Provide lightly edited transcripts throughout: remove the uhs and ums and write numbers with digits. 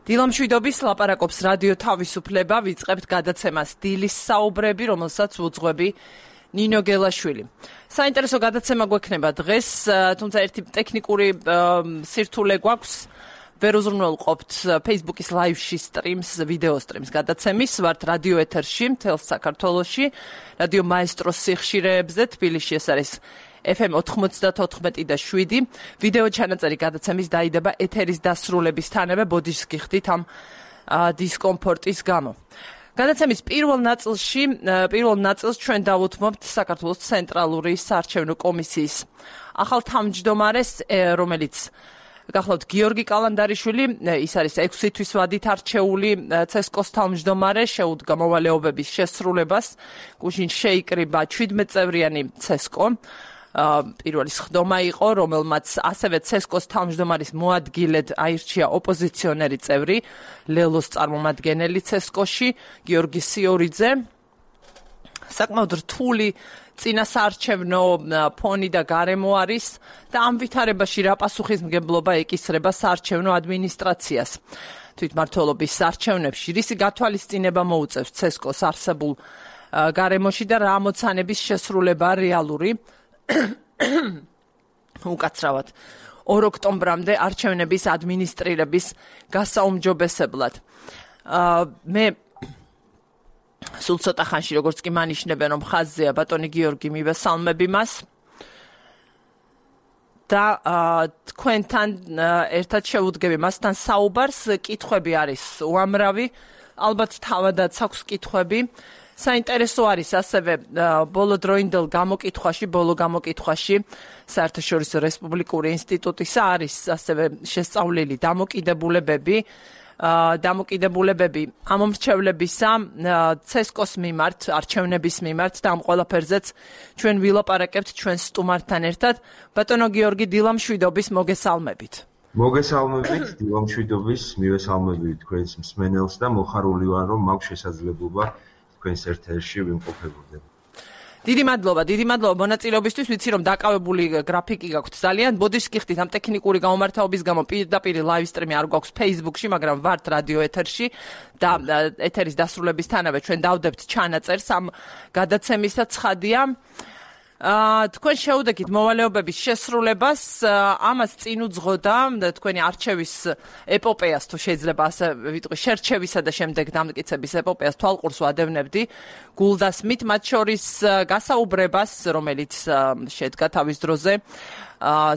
დილამშვიდობის ლაპარაკობს რადიო თავისუფლება, ვიწყებთ გადაცემას დილის საუბრები, რომელსაც უძღვები ნინო გელაშვილი. საინტერესო გადაცემა გვექნება დღეს, თუმცა ერთი ტექნიკური სირთულე გვაქვს. ვერ უზრუნველყოფთ Facebook-ის live-ში ვიდეო სტრიმს გადაცემის, ვართ რადიო ეთერში, მთელ საქართველოში, რადიო მაესტროს სიხშირეებზე, თბილისში ეს არის FM 94.7. ვიდეო ჩანაწერი გადაცემის დაიდება ეთერის დასრულებისთანავე, ბოდიშს გიხდით ამ დისკომფორტის გამო. გადაცემის პირველ ნაწილს ჩვენ დავუთმობთ საქართველოს ცენტრალური საარჩევნო კომისიის ახალ თავმჯდომარეს, რომელიც გახლავთ გიორგი კალანდარიშვილი, ის არის 6 თვის ვადით არჩეული ცესკოს თავმჯდომარე, შეუდგა მოვალეობების შესრულებას, გუშინ შეიკრიბა 17 წევრიანი ცესკო. პირველი სხდომა იყო, რომელმაც ასევე ცესკოს თავმჯდომარის მოადგილედ აირჩია ოპოზიციონერი წევრი, ლელოს წარმომადგენელი ცესკოში, გიორგი სიორიძე. საკმაოდ რთული წინასაარჩევნო ფონი და გარემო არის და ამ ვითარებაში რა პასუხისმგებლობა ეკისრება საარჩევნო ადმინისტრაციას. თვითმმართველობის არჩევნებში რისი გათვალისწინება მოუწევს ცესკოს არსებულ გარემოში და რა ამოცანების შესრულება რეალური. უკაცრავად 2 ოქტომბრამდე არჩევნების ადმინისტრირების გასაუმჯობესებლად. მე სულ ცოტა ხანში, როგორც კი მანიშნებენ, რომ ხაზზეა ბატონი გიორგი, მივესალმები მას და თქვენთან ერთად შევუდგები მასთან საუბარს. კითხვები არის უამრავი, ალბათ თავადაც აქვს კითხვები. საინტერესო არის ასევე ბოლო გამოკითხვაში საერთაშორისო რესპუბლიკური ინსტიტუტისა არის ასევე შესწავლილი დამოკიდებულებები ამომრჩევლებისა ცესკოს მიმართ, არჩევნების მიმართ და ამ ყველაფერზეც ჩვენ ვილაპარაკებთ ჩვენ სტუმართან ერთად. ბატონო გიორგი, დილამშვიდობის, მოგესალმებით. მოგესალმებით, დილამშვიდობის, მივესალმებით თქვენს მსმენელს და მოხარული ვარ, რომ მაქვს შესაძლებლობა თქვენს ეთერში ვიმყოფებოდე. დიდი მადლობა მონაწილეობისთვის. ვიცი რომ დაკავებული გრაფიკი გაქვთ ძალიან. ბოდიშს გიხდით ამ ტექნიკური გამომართაობის გამო პირდაპირ live stream-ი არ გვაქვს Facebook-ში, მაგრამ ვართ რადიო ეთერში და ეთერის დასრულებისთანავე ჩვენ დავდებთ ჩანაწერს ამ გადაცემისა. ცხადია, თქვენ შეუდექით მოვალეობების შესრულებას, ამას წინ უძღოდა თქვენი არჩევის ეპოპეას, თუ შეიძლება ასე ვიტყვი, შერჩევისა და შემდეგ დამტკიცების ეპოპეას თვალყურს ვადევნებდი გულდასმით, მათ შორის გასაუბრებას, რომელიც შედგა თავის დროზე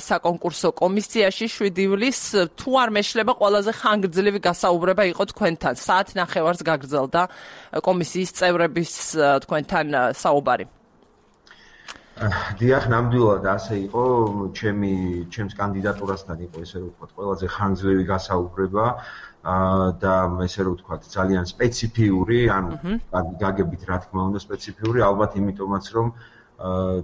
საკონკურსო კომისიაში 7 ივლისს, თუ არ მეშლება ყველაზე ხანგრძლივი გასაუბრება იყო თქვენთან. საათ ნახევარს გაგრძელდა კომისიის წევრების თქვენთან საუბარი. დიახ, ნამდვილად ასე იყო, ჩემს კანდიდატურასთან იყო ესე რომ ვთქვათ, ყველაზე ხანგრძლივი გასაუბრება და ესე რომ ვთქვათ, ძალიან სპეციფიური, ანუ გაგებით რა თქმა უნდა სპეციფიური, ალბათ იმიტომაც რომ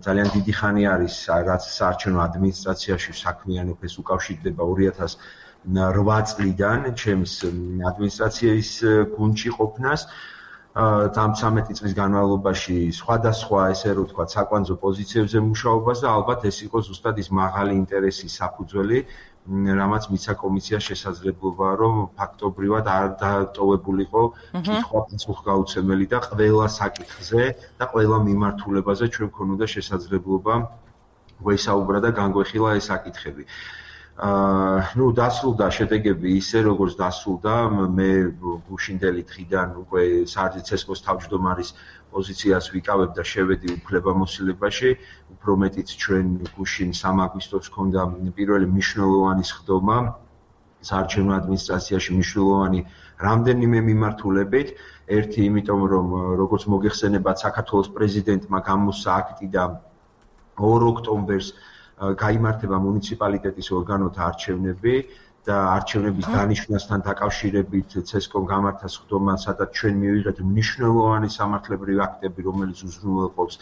ძალიან დიდი ხანი არის რაც საარჩევნო ადმინისტრაციაში საქმიანობას უკავშირდება 2008 წლიდან ჩემს ადმინისტრაციის გუნდში ყოფნას. ამ 13 წლის განმავლობაში სხვადასხვა ესე რომ ვთქვათ საკვანძო პოზიციებზე მუშაობას და ალბათ ეს იყო ზუსტად ის მაღალი ინტერესის საფუძველი, რამაც მიცა კომისიას შესაძლებლობა, რომ ფაქტობრივად არ დატოვებულიყო კითხვა პასუხგაუცემელი და ყველა საკითხზე და ყველა მიმართულებაზე ჩვენ ქონოდა შესაძლებლობა გვესაუბრა და განგვეხილა ეს საკითხები. დასრულდა შედეგები ისე, როგორც დასრულდა, მე გუშინდელი დღიდან უკვე ცესკოს თავმჯდომარის პოზიციას ვიკავებ და შევედი უფლებამოსილებაში, უფრო მეტიც ჩვენ გუშინ 3 აგვისტოს ჰქონდა პირველი მნიშვნელოვანი სხდომა საარჩევნო ადმინისტრაციაში მნიშვნელოვანი რამდენიმე მიმართულებით. ერთი იმიტომ, რომ როგორც მოგეხსენებათ, საქართველოს პრეზიდენტმა გამოსცა აქტი და 2 ოქტომბერს გაიმართება მუნიციპალიტეტის ორგანოთა არჩევნები და არჩევნების დანიშვნასთან დაკავშირებით ცესკომ გამართა სხდომა, სადაც ჩვენ მივიღეთ მნიშვნელოვანი სამართლებრივი აქტები, რომელიც უზრუნველყოფს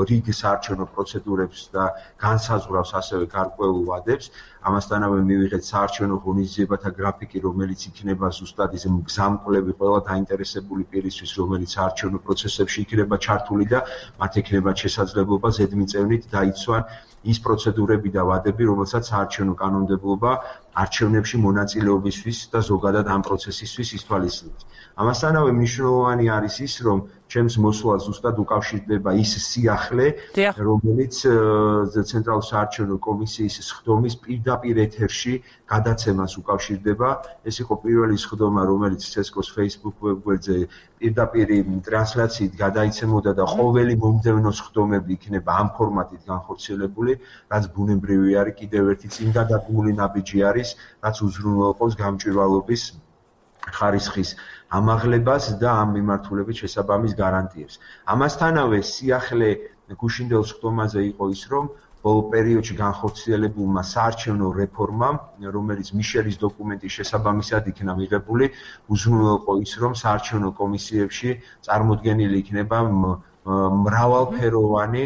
რიგ საარჩევნო პროცედურებს და განსაზღვრავს ასევე გარკვეულ ვადებს. ამასთანავე მივიღეთ საარჩევნო ღონისძიებათა გრაფიკი, რომელიც იქნება ზუსტად ის მგზამკვლევი ყველა დაინტერესებული პირისთვის, რომელიც საარჩევნო პროცესებში იქნება ჩართული და მათ ექნებათ შესაძლებლობა ზედმიწევნით დაიცვან ის პროცედურები და ვადები, რომელსაც საარჩევნო კანონმდებლობა მოცემულობა არჩევნებში მონაწილეობისთვის და ზოგადად ამ პროცესისთვის ითვალისწინებს. ამასთანავე მნიშვნელოვანი არის ის, რომ ჩემს მოსვლას ზუსტად უკავშირდება ის სიახლე, რომელიც ცენტრალური საარჩევნო კომისიის სხდომის პირდაპირ ეთერში გადაცემას უკავშირდება. ეს იყო პირველი სხდომა, რომელიც CSGO-ს Facebook ვებგვერდზე პირდაპირ ტრანსლაციით გადაიცემოდა და ყოველი მომდევნო სხდომები იქნება ამ ფორმატით განხორციელებული, რაც ბუნებრივი არის, კიდევ ერთი წინგადადგმული ნაბიჯი არის, რაც უზრუნველყოფს გამჭვირვალობის ხარისხის ამაღლებას და ამ მიმართულებით შესაბამის გარანტიებს. ამასთანავე სიახლე გუშინდელ სხდომაზე იყო ის, რომ ბოლო პერიოდში განხორციელებულმა საარჩევნო რეფორმამ, რომელიც მიშელის დოკუმენტის შესაბამისად იქნა მიღებული, უზრუნველყო ის, რომ საარჩევნო კომისიებში წარმოდგენილი იქნება მრავალფეროვანი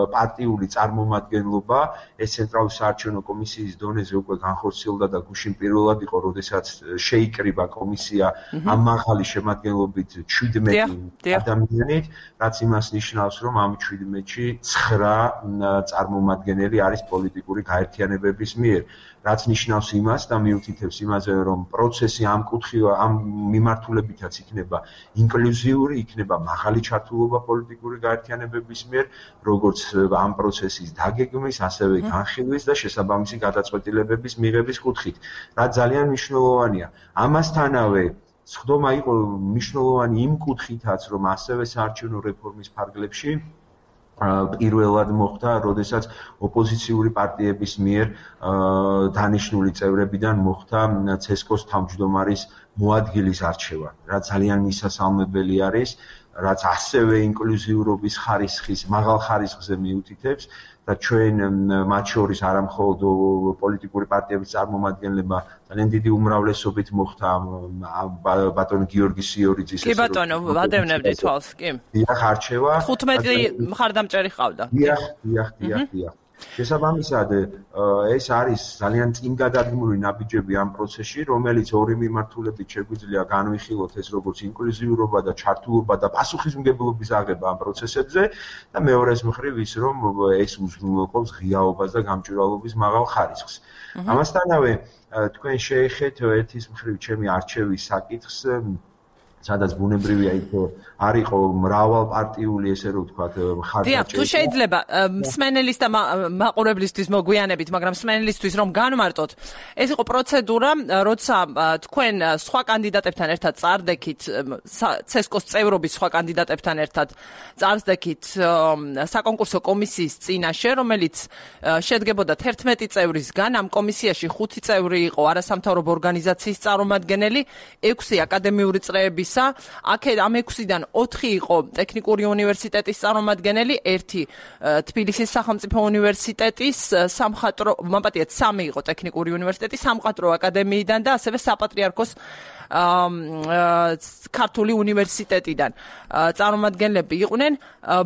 პარტიული წარმომადგენლობა. ეს ცენტრალური საარჩევნო კომისიის დონეზე უკვე განხორციელდა და გუშინ პირველად იყო, როდესაც შეიკრიბა კომისია ამ მაღალი შემადგენლობით 17 ადამიანით, რაც იმას ნიშნავს, რომ ამ 17-ში 9 წარმომადგენელი არის პოლიტიკური გაერთიანებების მიერ, რაც ნიშნავს იმას და მიუთითებს იმაზე, რომ პროცესი ამ მიმართულებითაც იქნება ინკლუზიური, იქნება მაღალი ჩართულობა პოლიტიკური გაერთიანებების მიერ, როგორც ამ პროცესის დაგეგმვის, ასევე განხილვის და შესაბამისი გადაწყვეტილებების მიღების კუთხით, რაც ძალიან მნიშვნელოვანია. ამასთანავე სხდომა იყო მნიშვნელოვანი იმ კუთხითაც, რომ ასევე საარჩევნო რეფორმის ფარგლებში პირველად მოხდა, როდესაც ოპოზიციური პარტიების მიერ დანიშნული წევრებიდან მოხდა CSGO-ს თავმჯდომარის მოადგილის არჩევა, რაც ძალიან მისასალმებელი არის, რაც ასევე ინკლუზიურობის ხარისხის, მაღალ ხარისხზე მიუთითებს და ჩვენ მათ შორის არა მხოლოდ პოლიტიკური პარტიების წარმომადგენლებმა ძალიან დიდი უმრავლესობით მოხდა ბატონ გიორგი სიორიძის კი ბატონო, ვადევნებდი თვალს, კი. დიახ, არჩევა 15 მხარდამჭერი ყავდა. დიახ. შესაბამისად, ეს არის ძალიან წინგადადგმული ნაბიჯები ამ პროცესში, რომელიც ორი მიმართულებით შეგვიძლია განვიხილოთ, ეს როგორც ინკლუზიურობა და ჩართულობა და პასუხისმგებლობის აღება ამ პროცესებზე და მეორეს მხრივ ის, რომ ეს უზრუნველყოფს ღიაობას და გამჭვირვალობის მაღალ ხარისხს. ამასთანავე, თქვენ შეეხეთ ერთის მხრივ ჩემი არჩევის საკითხს, სადაც ბუნებრივია იქ არისო მრავალპარტიული, ესე რომ ვთქვათ, მხარდაჭერა. დიახ, თუ შეიძლება მსმენელის და მაყურებლისთვის მოგვიანებით, მაგრამ მსმენელისთვის რომ განმარტოთ, ეს იყო პროცედურა, როცა თქვენ სხვა კანდიდატებთან ერთად წარდექით, CSGO-ს წევრობის სხვა კანდიდატებთან ერთად წარდექით საკონკურსო კომისიის წინაშე, რომელიც შედგებოდა 11 წევრისგან, ამ კომისიაში 5 წევრი იყო არასამთავრობო ორგანიზაციის წარმომადგენელი, 6 აკადემიური წრეების აქ ამ 6-დან 4 იყო ტექნიკური უნივერსიტეტის წარმომადგენელი, 1 თბილისის სახელმწიფო უნივერსიტეტის სამხატვრო, მამპატიეთ 3 იყო ტექნიკური უნივერსიტეტის სამხატვრო აკადემიიდან და ასევე საპატრიარქოს ქართული უნივერსიტეტიდან წარმომადგენლები იყვნენ.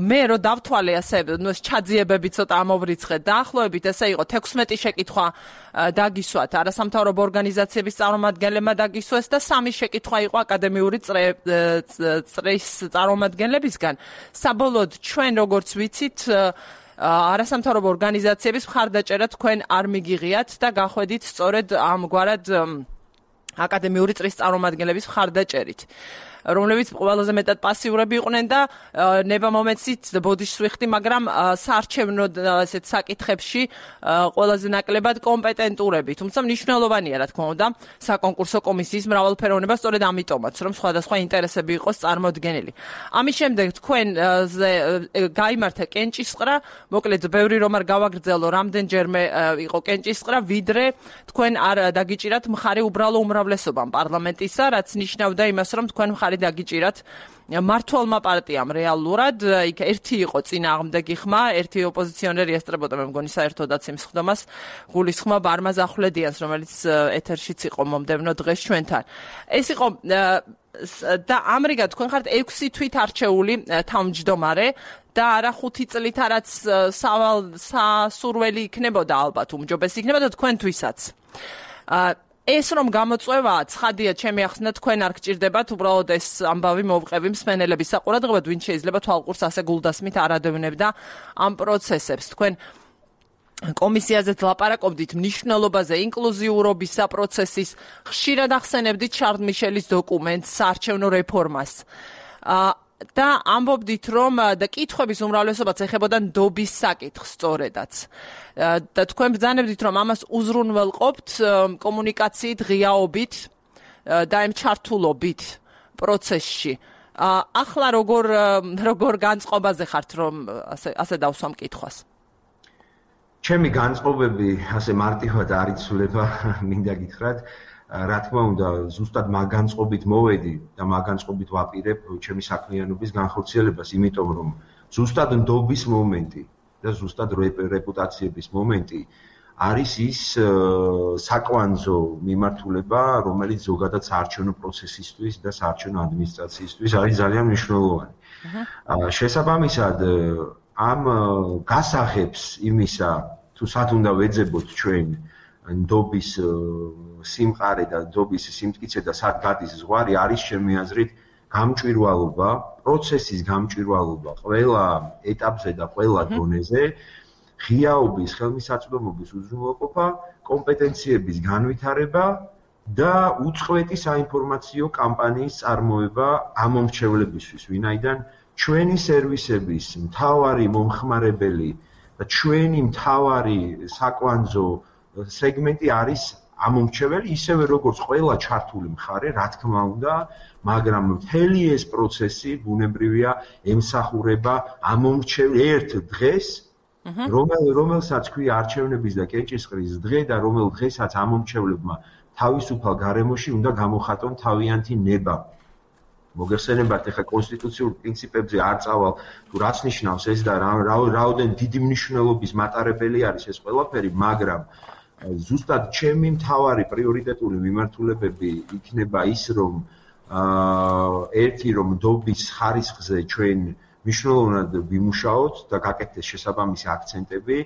მე რო დავთვალე ასე, ჩაძიებები ცოტა ამოვრიცხეთ, დაახლოებით ესე იყო 16 შეკითხვა დაგისვათ არასამთავრობო ორგანიზაციების წარმომადგენლებმა დაგისვეს და 3 შეკითხვა იყო აკადემიური წრის წარმომადგენლებისგან. საბოლოოდ ჩვენ როგორც ვიცით, არასამთავრობო ორგანიზაციების მხარდაჭერა თქვენ არ მიგიღიათ და გახვედით სწორედ ამგვარად აკადემიური წრის წარმომადგენლების მხარდაჭერით, რომლებიც ყველაზე მეტად პასიურები იყვნენ და ნება მომეცით ბოდიშს ვიხდი, მაგრამ საარჩევნო ესეთ საკითხებში ყველაზე ნაკლებად კომპეტენტურები. თუმცა მნიშვნელოვანია, რა თქმა უნდა, საკონკურსო კომისიის მრავალფეროვნება, სწორედ ამიტომაც, რომ სხვადასხვა ინტერესები იყოს წარმოდგენილი. ამის შემდეგ თქვენ გაიმართა კენჭისყრა, მოკლედ ბევრი რომ არ გავაგრძელო, რამდენჯერმე იყო კენჭისყრა, ვიდრე თქვენ არ დაგიჭირათ მხარი უბრალო უმრავლესობამ პარლამენტისა, რაც ნიშნავდა იმას, რომ თქვენ მხარი დაგიჭირათ მართლმა პარტიამ რეალურად. იქ ერთი იყო წინააღმდეგი ხმა, ერთი ოპოზიციონერი ესწრებოდა, მე მგონი საერთოდაც იმ სხდომას, გულისხმობა ბარმაზ ახვლედიანს, რომელიც ეთერშიც იყო მომდევნო დღეს ჩვენთან. ეს იყო და ამრიგად თქვენ ხართ 6 თვით არჩეული თავმჯდომარე და არა 5 წლით, რაც სასურველი იქნებოდა, ალბათ უმჯობესი იქნებოდა თქვენთვისაც. ეს რომ გამოწვევაა, ცხადია, ჩემი ახსნა თქვენ არ გჭირდებათ უბრალოდ ეს ამბავი მოვყევი მსმენელების საყურადღებოდ, ვინ შეიძლება თვალყურს ასე გულდასმით არ ადევნებდა ამ პროცესებს. თქვენ კომისიაზეც ლაპარაკობდით მნიშვნელობაზე ინკლუზიურობის პროცესის, ხშირად ახსენებდით შარლ მიშელის დოკუმენტს, საარჩევნო რეფორმას. და ამბობდით, რომ და კითხვების უმრავლესობაც ეხებოდა ნდობის საკითხს სწორედაც. და თქვენ ბრძანებდით, რომ ამას უზრუნველყოფთ კომუნიკაციით, ღიაობით და იმ ჩართულობით პროცესში. ახლა როგორ განწყობაზე ხართ, რომ ასე დავსვამ კითხვას? ჩემი განწყობები ასე მარტივად არ იცვლება, მინდა გითხრათ. რა თქმა უნდა, ზუსტად მაგ განწყობით მოვედი და მაგ განწყობით ვაპირებ ჩემი საქმიანობის განხორციელებას, იმიტომ რომ ზუსტად ნდობის მომენტი და ზუსტად რეპუტაციების მომენტი არის ის საკვანძო მიმართულება, რომელიც ზოგადად საარჩევნო პროცესისთვის და საარჩევნო ადმინისტრაციისთვის არის ძალიან მნიშვნელოვანი. შესაბამისად, ამ გასაღებს იმისა, თუ სად უნდა ვეძებოთ ჩვენ ნდობის სიმყარე და ნდობის სიმტკიცე და სად გადის ზღვარი, არის ჩემი აზრით გამჭვირვალობა, პროცესის გამჭვირვალობა ყველა ეტაპზე და ყველა დონეზე, ღიაობის, ხელმისაწვდომობის უზრუნველყოფა, კომპეტენციების განვითარება და უწყვეტი საინფორმაციო კამპანიის წარმოება ამომრჩევლებისთვის, ვინაიდან ჩვენი სერვისების მთავარი მომხმარებელი და ჩვენი მთავარი საკვანძო სეგმენტი არის ამომრჩეველი, ისევე როგორც ყველა ჩართული მხარე, რა თქმა უნდა, მაგრამ მთელი ეს პროცესი ბუნებრივია ემსახურება ამომრჩეველ ერთ დღეს, რომელსაც ქვია არჩევნების და კენჭისყრის დღე და რომელ დღესაც ამომრჩევლებმა თავისუფალ გარემოში უნდა გამოხატონ თავიანთი ნება. მოგეხსენებათ, ეხლა კონსტიტუციურ პრინციპებზე არ წავალ, თუ რაც ნიშნავს ეს და რაოდენ დიდი მნიშვნელობის მატარებელი არის ეს ყველაფერი, მაგრამ ზუსტად ჩემი მთავარი პრიორიტეტული მიმართულებები იქნება ის, რომ ერთი რომ ნდობის ხარისხზე ჩვენ მნიშვნელოვნად ვიმუშაოთ და გაკეთდეს შესაბამისი აქცენტები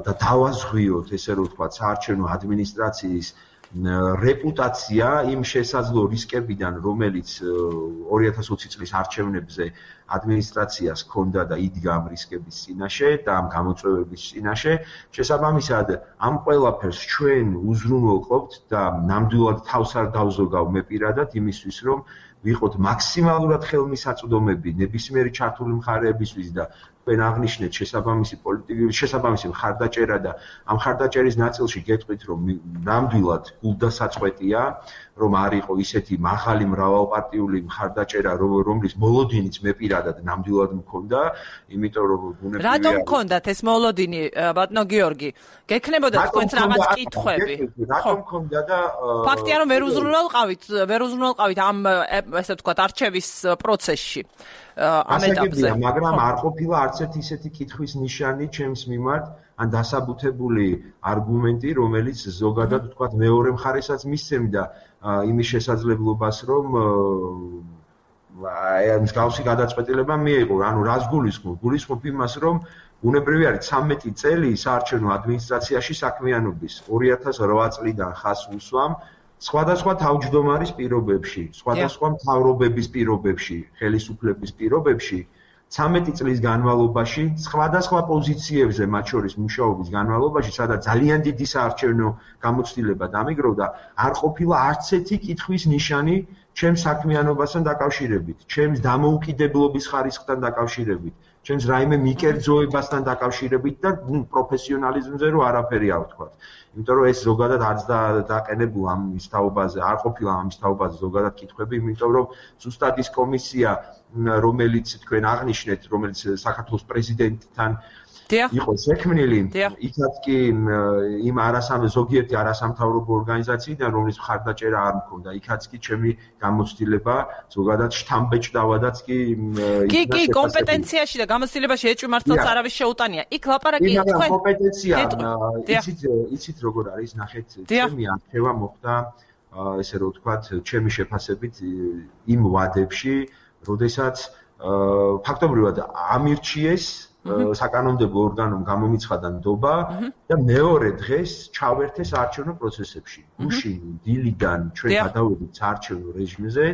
და დავაზღვიოთ, ესე რომ ვთქვათ, საარჩევნო ადმინისტრაციის რეპუტაცია იმ შესაძლო რისკებიდან, რომელიც 2020 წლის არჩევნებზე ადმინისტრაციას ჰქონდა და იდგა ამ რისკების წინაშე და ამ გამოწვევების წინაშე. შესაბამისად, ამ ყველაფერს ჩვენ უზრუნველყოფთ და ნამდვილად თავს არ დავზოგავ მე პირადად იმისთვის, რომ ვიყოთ მაქსიმალურად ხელმისაწვდომები ნებისმიერი ჩართული მხარეებისთვის და თქვენ აღნიშნეთ შესაბამისი მხარდაჭერა და ამ მხარდაჭერის ნაწილში გეტყვით, რომ ნამდვილად გულდასაწყვეტია, რომ არ იყო ისეთი მაღალი მრავალპარტიული მხარდაჭერა, რომლის მოლოდინიც მე პირადად ნამდვილად მქონდა, იმიტომ რომ ბუნებრივია. რატომ მქონდათ ეს მოლოდინი, ბატონო გიორგი? გექნებოდა თქვენს რაღაც კითხვები? რატომ მქონდა და ფაქტია, რომ ვერ უზრუნველყავით ამ ესე ვთქვათ არჩევის პროცესში. ამ ეტაპზე. მაგრამ არ ყოფილა არც ერთი ისეთი კითხვის ნიშანი ჩემს მიმართ, ან დასაბუთებული არგუმენტი, რომელიც ზოგადად ვთქვათ მეორე მხარესაც მისცემდა იმის შესაძლებლობას, რომ მსგავსი გადაწყვეტილება მიეღო. ანუ რას გულისხმობ? გულისხმობ იმას, რომ ბუნებრივი არის 13 წელი საარჩევნო ადმინისტრაციაში საქმიანობის 2008 წლიდან ხაზს უსვამ სხვადასხვა თავმჯდომარის პირობებში, სხვადასხვა მთავრობების პირობებში, ხელისუფლების პირობებში 13 წლის განმავლობაში, სხვადასხვა პოზიციებზე, მათ შორის მუშაობის განმავლობაში, სადაც ძალიან დიდი საარჩევნო გამოცდილება დამიგროვდა, არ ყოფილა არც ერთი კითხვის ნიშანი ჩემს საქმიანობასთან დაკავშირებით, ჩემს დამოუკიდებლობის ხარისხთან დაკავშირებით, ჩემს რაიმე მიკერძოებასთან დაკავშირებით და პროფესიონალიზმზე რო არაფერი არ ვთქვათ. იმიტომ რომ ეს ზოგადად არც დაყენებულა ამის თაობაზე, არ ყოფილა ამის თაობაზე ზოგადად კითხვები, იმიტომ რომ ზუსტად ის კომისია, რომელიც თქვენ აღნიშნეთ, რომელიც საქართველოს პრეზიდენტთან იყო შექმნილი, იქაც კი იმ ზოგიერთი არასამთავრობო ორგანიზაციიდან, რომლის მხარდაჭერა არ მქონდა, იქაც კი ჩემი გამოცდილება ზოგადად შთამბეჭდავადაც კი კი კომპეტენციაში და გამოცდილებაში ეჭვი მართლაც არავის შეუტანია. იქ ლაპარაკი თქვენ კომპეტენცია, იცით როგორ არის, ნახეთ, ჩემი არჩევა მოხდა, ესე რომ ვთქვათ, ჩემი შეფასებით იმ ვადებში, როდესაც ფაქტობრივად ამირჩიეს საკანონმდებლო ორგანომ გამომიცხადა ნდობა და მეორე დღეს ჩავერთეს საარჩევნო პროცესებში. გუშინ დილიდან ჩვენ გადავედით საარჩევნო რეჟიმზე,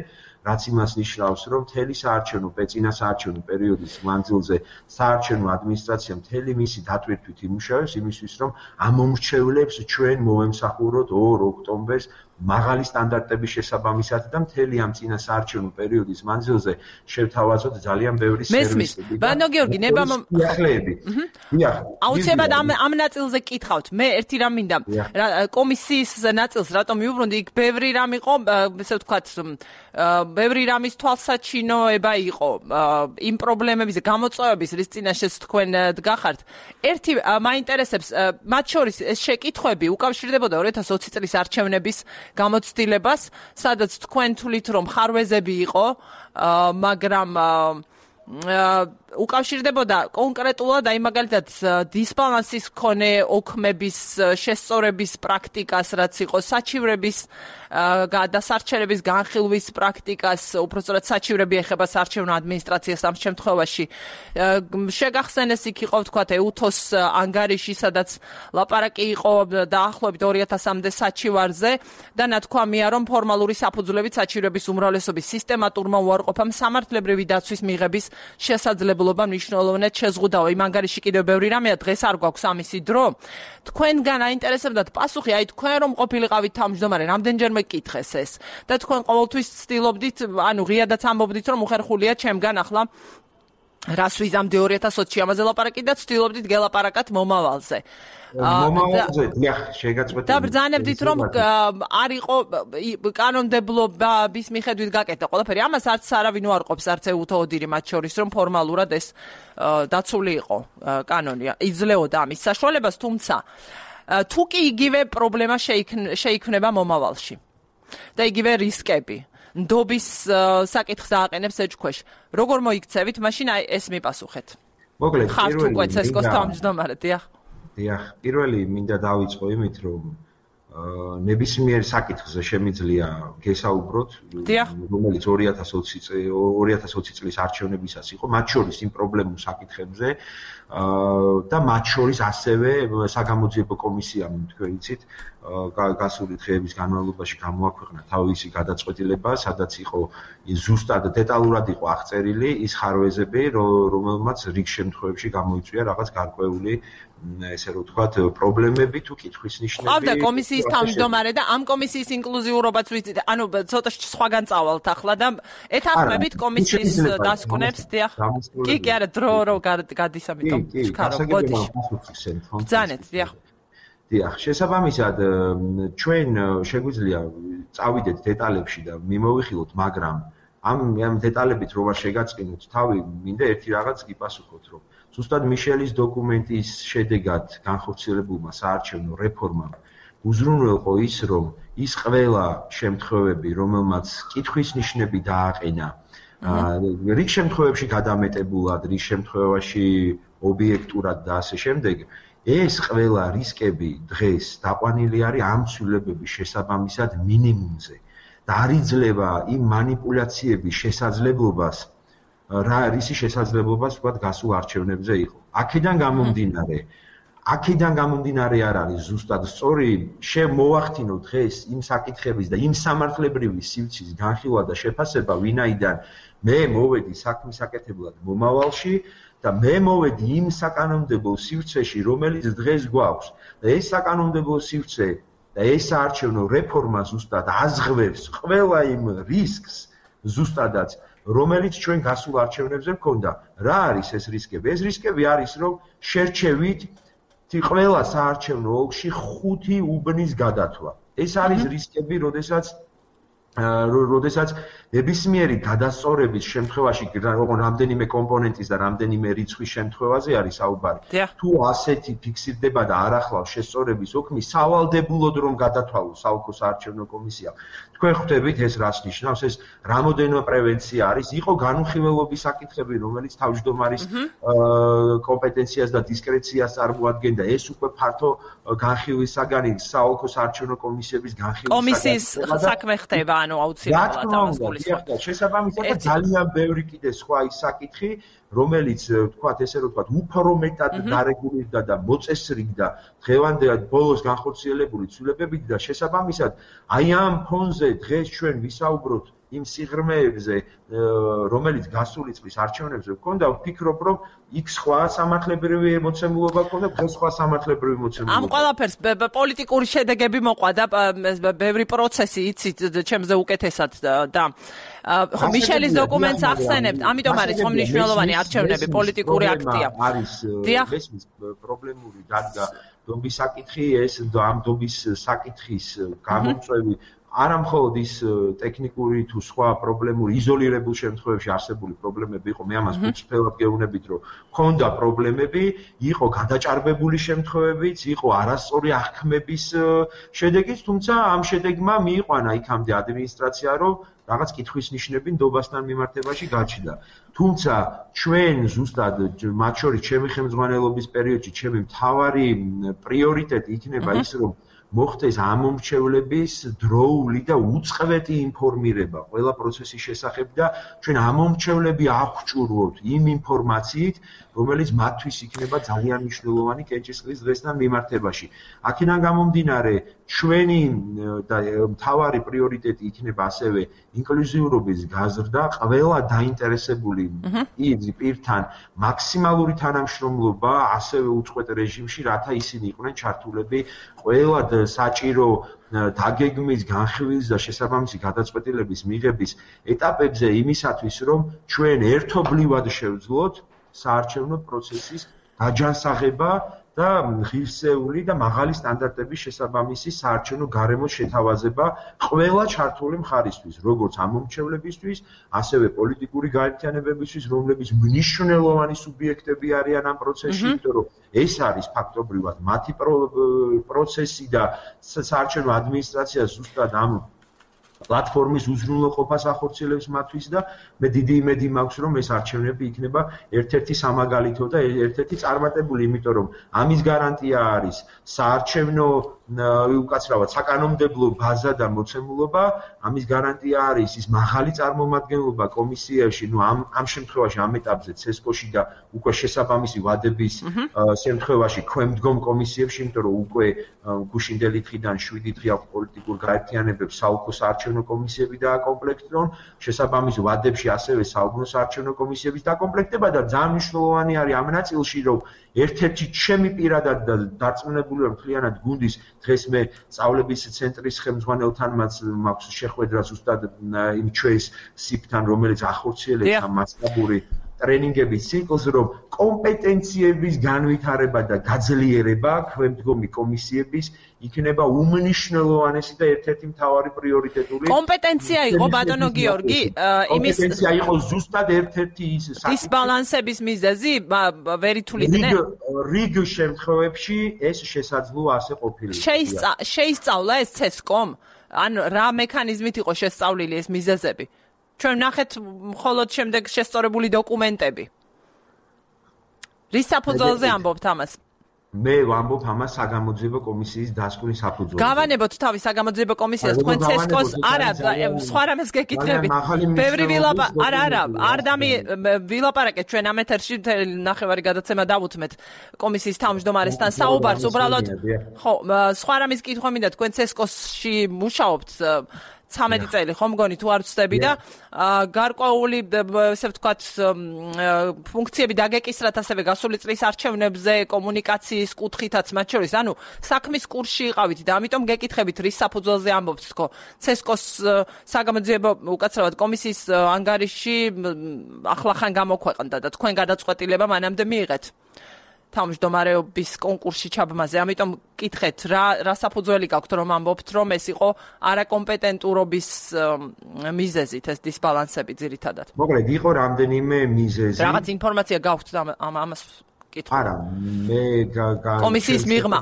რაც იმას ნიშნავს, რომ მთელი საარჩევნო წინასაარჩევნო პერიოდის მანძილზე საარჩევნო ადმინისტრაცია მთელი მისი დატვირთვით იმუშავებს იმისთვის, რომ ამ მომრჩევლებს ჩვენ მოვემსახუროთ 2 ოქტომბერს მაღალი სტანდარტების შესაბამისად და მთელი ამ წინასაარჩევნო პერიოდის მანძილზე შევთავაზოთ ძალიან ბევრი სერვისები. ბანო გიორგი, ახლები. აუცილებლად ამ ნაწილზე კითხავთ. მე ერთი რამ მინდა კომისიის ნაწილს რატომ მიუბრუნდი, იქ ბევრი რამ იყო, ესე ვთქვათ, ბევრი რამის თვალსაჩინოება იყო იმ პრობლემების გამოწვევების, რის წინაშე თქვენ დგახართ. ერთი მაინტერესებს, მათ შორის ეს შეკითხვები უკავშირდებოდა 2020 წლის არჩევნების გამოცდილებას, სადაც თქვენ თვლით, რომ ხარვეზები იყო, მაგრამ უკავშირდებოდა კონკრეტულად აი მაგალითად დისბალანსის მქონე ოქმების შესწორების პრაქტიკას, რაც იყო საჩივრების გადასარჩენების განხილვის პრაქტიკას, უпростоრად საჩივრები ეხება საარჩევნო ადმინისტრაციას ამ შემთხვევაში. შეგახსენეს იქ იყო ვთქვათ ეუთოს ანგარიში, სადაც ლაპარაკი იყო დაახლოებით 2000-მდე საჩივარზე და ნათქვამია, რომ ფორმალური საფუძვლებით საჩივრების უმრავლესობის სისტემატურმა უარყოფამ სამართლებრივი დაცვის მიღების შესაძლებლობა მნიშვნელოვნად შეზღუდაო. იმ ანგარიში კიდევ ბევრი რამეა, დღეს არ გვაქვს ამისი დრო. თქვენგან აინტერესებდათ პასუხი, აი თქვენ რომ ყოფილიყავით თავმჯდომარე, რამდენჯერმე კითხეს ეს და თქვენ ყოველთვის ცდილობდით, ანუ ღიადაც ამბობდით, რომ უხერხულია ჩემგან ახლა რას ვიზამდი 2020-ში ამაზე ლაპარაკი და ცდილობდით გელაპარაკათ მომავალზე. და ბრძანებდით, რომ არ იყო კანონმდებლობის მიხედვით გაკეთდა ყველაფერი. ამას არც არავინ უარყოფს, არც ეუთო ოდირი მათ შორის, რომ ფორმალურად ეს დაცული იყო კანონი, იძლეოდა ამის საშუალებას, თუმცა თუ კი იგივე პრობლემა შეიქმნება მომავალში და იგივე რისკები ნდობის საკითხს ააყენებს ეჭქვეშ. როგორ მოიქცევით, მაშინ აი ეს მიპასუხეთ. მოკლედ, ხართ უკვე ცესკოს თავმჯდომარე, დიახ. დიახ, პირველი მინდა დავიწყო იმით, რომ ნებისმიერ საკითხზე შემიძლია გესაუბროთ, რომელიც 2020 წლის არჩევნებისას იყო, მათ შორის იმ პრობლემურ საკითხებზე და მათ შორის ასევე საგამოძიებო კომისიამ, თქვენ იცით, გასული დღეების განმავლობაში გამოაქვეყნა თავისი გადაწყვეტილება, სადაც იყო ზუსტად დეტალურად იყო აღწერილი ის ხარვეზები, რომელმაც რიგ შემთხვევებში გამოიწვია რაღაც გარკვეული ესე რომ ვთქვათ, პრობლემები თუ კითხვის ნიშნები. ყავდა კომისიის თავმჯდომარე და ამ კომისიის ინკლუზიურობაც ვიცით, ანუ ცოტა სხვაგან წავალთ ახლა და ეთანხმებით კომისიის დასკვნებს, დიახ. კი, არა, დრო გადის ამიტომ შეხარო, ბოდიში. ბრძანეთ, დიახ. დიახ, შესაბამისად, ჩვენ შეგვიძლია წავიდეთ დეტალებში და მიმოვიხილოთ, მაგრამ ამ დეტალებით რო არ შეგაწყინოთ თავი, მინდა ერთი რაღაც გიპასუხოთ, რომ ზუსტად მიშელის დოკუმენტის შედეგად განხორციელებულმა საარჩევნო რეფორმამ უზრუნველყო ის, რომ ის ყველა შემთხვევები, რომელმაც კითხვის ნიშნები დააყენა, რიგ შემთხვევებში გადამეტებულად, რიგ შემთხვევაში ობიექტურად და ასე შემდეგ, ეს ყველა რისკები დღეს დაყვანილი არის ამ ცვლილებების შესაბამისად მინიმუმზე და არ იძლევა იმ მანიპულაციების შესაძლებლობას, რისი შესაძლებლობას ვთქვათ გასულ არჩევნებზე იყო. აქედან გამომდინარე არ არის ზუსტად სწორი შემოვახდინოთ დღეს იმ საკითხების და იმ სამართლებრივი სივრცის განხილვა და შეფასება, ვინაიდან მე მოვედი საქმის აკეთებლად მომავალში და მე მოვედი იმ საკანონმდებლო სივრცეში, რომელიც დღეს გვაქვს. და ეს საკანონმდებლო სივრცე და ეს საარჩევნო რეფორმა ზუსტად აზღვევს ყველა იმ რისკს ზუსტადაც, რომელიც ჩვენ გასულ არჩევნებზე მქონდა. რა არის ეს რისკები? ეს რისკები არის, რომ შერჩევით ყველა საარჩევნო ოლქში 5 უბნის გადათვა. ეს არის რისკები, როდესაც ნებისმიერი გადასწორების შემთხვევაში, რამდენიმე კომპონენტის და რამდენიმე რიცხვის შემთხვევაზე არის საუბარი. თუ ასეთი ფიქსირდება და არ ახლავს შესწორების ოქმი, სავალდებულოდ რომ გადათვალოს საოლქო საარჩევნო კომისიამ. თქვენ ხვდებით ეს რას ნიშნავს, ეს რამოდენო პრევენცია არის, იყო განუხილველობის საკითხები, რომელიც თავმჯდომარის კომპეტენციას და დისკრეციას წარმოადგენდა. ეს უკვე ფართო განხილვის საგანი საოლქო საარჩევნო კომისიების განხილვის საგანი. კომისიის საქმე ხდება, ანუ აუცილებლად ამას გულისხმობ. შესაბამისად ძალიან ბევრი კიდე სხვა ის საკითხი, რომელიც ვთქვათ, ესე რომ ვთქვათ, უფრო მეტად დარეგულირდა და მოწესრიგდა დღევანდელ ბოლოს განხორციელებული ცვლილებებით და შესაბამისად, აი ამ ფონზე დღეს ჩვენ ვისაუბროთ იმ სიღრმეებზე, რომელიც გასული წლის არჩევნებზე ჰქონდა, ვფიქრობ, რომ იქ სხვა სამართლებრივი მოცემულობა ჰქონდა, დღეს სხვა სამართლებრივი მოცემულობა. ამ ყველაფერს პოლიტიკური შედეგები მოყვა და ბევრი პროცესი იცით ჩემზე უკეთესად და ხო მიშელის დოკუმენტს ახსენებთ, ამიტომ არის ხომ მნიშვნელოვანი არჩევნები, პოლიტიკური აქტია. არის ესმის პრობლემური დადგა დობის საკითხი, ეს ამ დობის საკითხის გამომწვევი არა მხოლოდ ის ტექნიკური თუ სხვა პრობლემური იზოლირებულ შემთხვევებში არსებული პრობლემები იყო, მე ამას უცბელად გეუბნებით, რომ ჰქონდა პრობლემები, იყო გადაჭარბებული შემთხვევებიც, იყო არასწორი აღქმების შედეგიც, თუმცა ამ შედეგმა მიიყვანა იქამდე ადმინისტრაცია, რომ რაღაც კითხვის ნიშნები ნდობასთან მიმართებაში გაჩნდა. თუმცა ჩვენ ზუსტად მათ შორის ჩემი ხელმძღვანელობის პერიოდში ჩემი მთავარი პრიორიტეტი იქნება ის, რომ მოხდეს ამომრჩევლების დროული და უწყლედი ინფორმირება ყველა პროცესის შესახებ და ჩვენ ამომრჩევლები აღჭურვოთ იმ ინფორმაციით, რომელიც მათთვის იქნება ძალიან მნიშვნელოვანი კენჭისყრის დღესთან მიმართებაში. აქედან გამომდინარე, ჩვენი და მთავარი პრიორიტეტი იქნება ასევე ინკლუზიურობის გაზრდა, ყველა დაინტერესებული პირთან მაქსიმალური თანამშრომლობა, ასევე უწყვეტ რეჟიმში, რათა ისინი იყვნენ ჩართულები ყველა საჭირო დაგეგმვის, განხილვის და შესაბამისი გადაწყვეტილების მიღების ეტაპებზე იმისათვის, რომ ჩვენ ერთობლივად შევძლოთ საარჩევნო პროცესის გაჯანსაღება და ღირსეული და მაღალი სტანდარტების შესაბამისი საარჩევნო გარემოს შეთავაზება ყველა ჩართული მხარისთვის, როგორც ამომრჩევლებისთვის, ასევე პოლიტიკური გაერთიანებებისთვის, რომლებიც მნიშვნელოვანი სუბიექტები არიან ამ პროცესში, იმიტომ რომ ეს არის ფაქტობრივად მათი პროცესი და საარჩევნო ადმინისტრაცია ზუსტად ამ პლატფორმის უზრუნველყოფას ახორციელებს მათთვის და მე დიდი იმედი მაქვს, რომ ეს არჩევნები იქნება ერთ-ერთი სამაგალითო და ერთ-ერთი წარმატებული, იმიტომ რომ ამის გარანტია არის საარჩევნო უკაცრავად საკანონმდებლო ბაზა და მოცემულობა, ამის გარანტია არის ის მაღალი წარმომადგენლობა კომისიაში, ამ შემთხვევაში ამ ეტაპზე ცესკოში და უკვე შესაბამისი ვადების შემთხვევაში ქვემდგომ კომისიებში, იმიტომ რომ უკვე გუშინდელი დღიდან 7 დღე აქვს პოლიტიკურ გაერთიანებებს საუკო საარჩევნო კომისიები დააკომპლექტონ, შესაბამის ვადებში ასევე საუბნო საარჩევნო კომისიების დაკომპლექტება და ძალიან მნიშვნელოვანი არის ამ ნაწილში, რომ ერთ-ერთი ჩემი პირადად დარწმუნებული ვარ მთლიანად გუნდის დღეს მე სწავლების ცენტრის ხელმძღვანელთან მაქვს შეხვედრა ზუსტად იმ ჩვენს სიფთან, რომელიც ახორციელებს ამ მასშტაბური ტრენინგების ციკლს, რომ კომპეტენციების განვითარება და გაძლიერება ქვემდგომი კომისიების იქნება უმნიშვნელოვანესი და ერთ-ერთი მთავარი პრიორიტეტული. კომპეტენცია იყო ბატონო გიორგი, იმის კომპეტენცია იყო ზუსტად ერთ-ერთი ის დისბალანსების მიზეზი, ვერ ითვლიდნენ? რიგ შემთხვევებში ეს შესაძლოა ასე ყოფილიყო. შეისწავლა ეს ცესკომ? ან რა მექანიზმით იყო შესწავლილი ეს მიზეზები? ჩვენ ნახეთ მხოლოდ შემდეგ შესწორებული დოკუმენტები. რის საფუძველზე ამბობთ ამას? მე ვამბობ ამას საგამოძიებო კომისიის დასკვნის საფუძველზე. გავანებოთ თავის საგამოძიებო კომისიას, თქვენ ცესკოს არა, სხვა რამეს გეკითხებით. ბევრი არ ვილაპარაკეთ ჩვენ ამ ეთერში ნახევარი გადაცემა დავუთმეთ კომისიის თავმჯდომარესთან საუბარს, უბრალოდ ხო, სხვა რამის კითხვა მინდა, თქვენ ცესკოსში მუშაობთ 13 წელი ხომ მგონი თუ არ ვცდები და გარკვეული ესე ვთქვათ ფუნქციები დაგეკისრათ ასევე გასული წლის არჩევნებზე კომუნიკაციის კუთხითაც მათ შორის, ანუ საქმის კურსში იყავით და ამიტომ გეკითხებით რის საფუძველზე ამბობთ თქო ცესკოს საგამოძიებო უკაცრავად კომისიის ანგარიში ახლახან გამოქვეყნდა და თქვენ გადაწყვეტილება მანამდე მიიღეთ თავმჯდომარეობის კონკურსში ჩაბმაზე, ამიტომ კითხეთ რა საფუძველი გაქვთ რომ ამბობთ რომ ეს იყო არაკომპეტენტურობის მიზეზით ეს დისბალანსები ძირითადად. მოკლედ იყო რამდენიმე მიზეზი. რაღაც ინფორმაცია გაქვთ ამას კითხვა. არა, მე კომისიის მიღმა.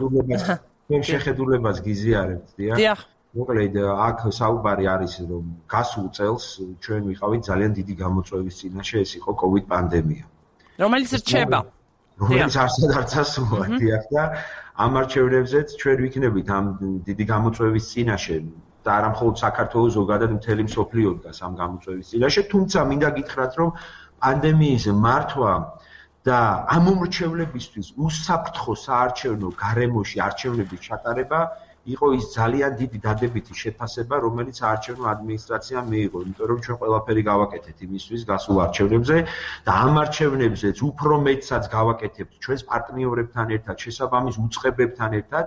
მე შეხედულებას გიზიარებთ, დიახ. მოკლედ აქ საუბარი არის რომ გასულ წელს ჩვენ ვიყავით ძალიან დიდი გამოწვევის წინაშე, ეს იყო COVID პანდემია. რომელიც რჩება რომელიც არც ასულა დიახ და ამ არჩევნებზეც ჩვენ ვიქნებით ამ დიდი გამოწვევის წინაშე და არა მხოლოდ საქართველოს ზოგადად მთელი მსოფლიო დგას ამ გამოწვევის წინაშე, თუმცა მინდა გითხრათ რომ პანდემიის მართვა და ამომრჩევლებისთვის უსაფრთხო საარჩევნო გარემოში არჩევნების ჩატარება იყო ის ძალიან დიდი დადებითი შეფასება, რომელიც საარჩევნო ადმინისტრაციამ მიიღო, იმიტომ რომ ჩვენ ყველაფერი გავაკეთეთ იმისთვის გასულ არჩევნებზე და ამ არჩევნებზეც უფრო მეტსაც გავაკეთებთ ჩვენს პარტნიორებთან ერთად, შესაბამის უწყებებთან ერთად,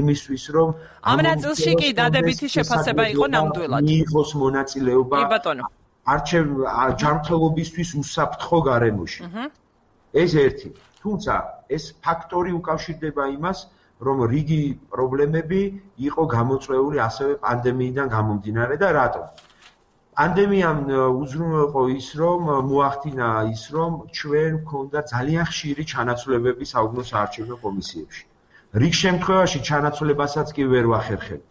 იმისთვის რომ ამ ნაწილში კი დადებითი შეფასება იყო ნამდვილად. მიიღოს მონაწილეობა ჯანმრთელობისთვის უსაფრთხო გარემოში. ეს ერთი. თუმცა ეს ფაქტორი უკავშირდება იმას, რომ რიგი პრობლემები იყო გამოწვეული ასევე პანდემიიდან გამომდინარე და რატომ? პანდემიამ უზრუნველყო ის, რომ მოახდინა ის, რომ ჩვენ გვქონდა ძალიან ხშირი ჩანაცვლებები საუგნო საარჩევნო კომისიებში. რიგ შემთხვევაში ჩანაცვლებასაც კი ვერ ვახერხებთ.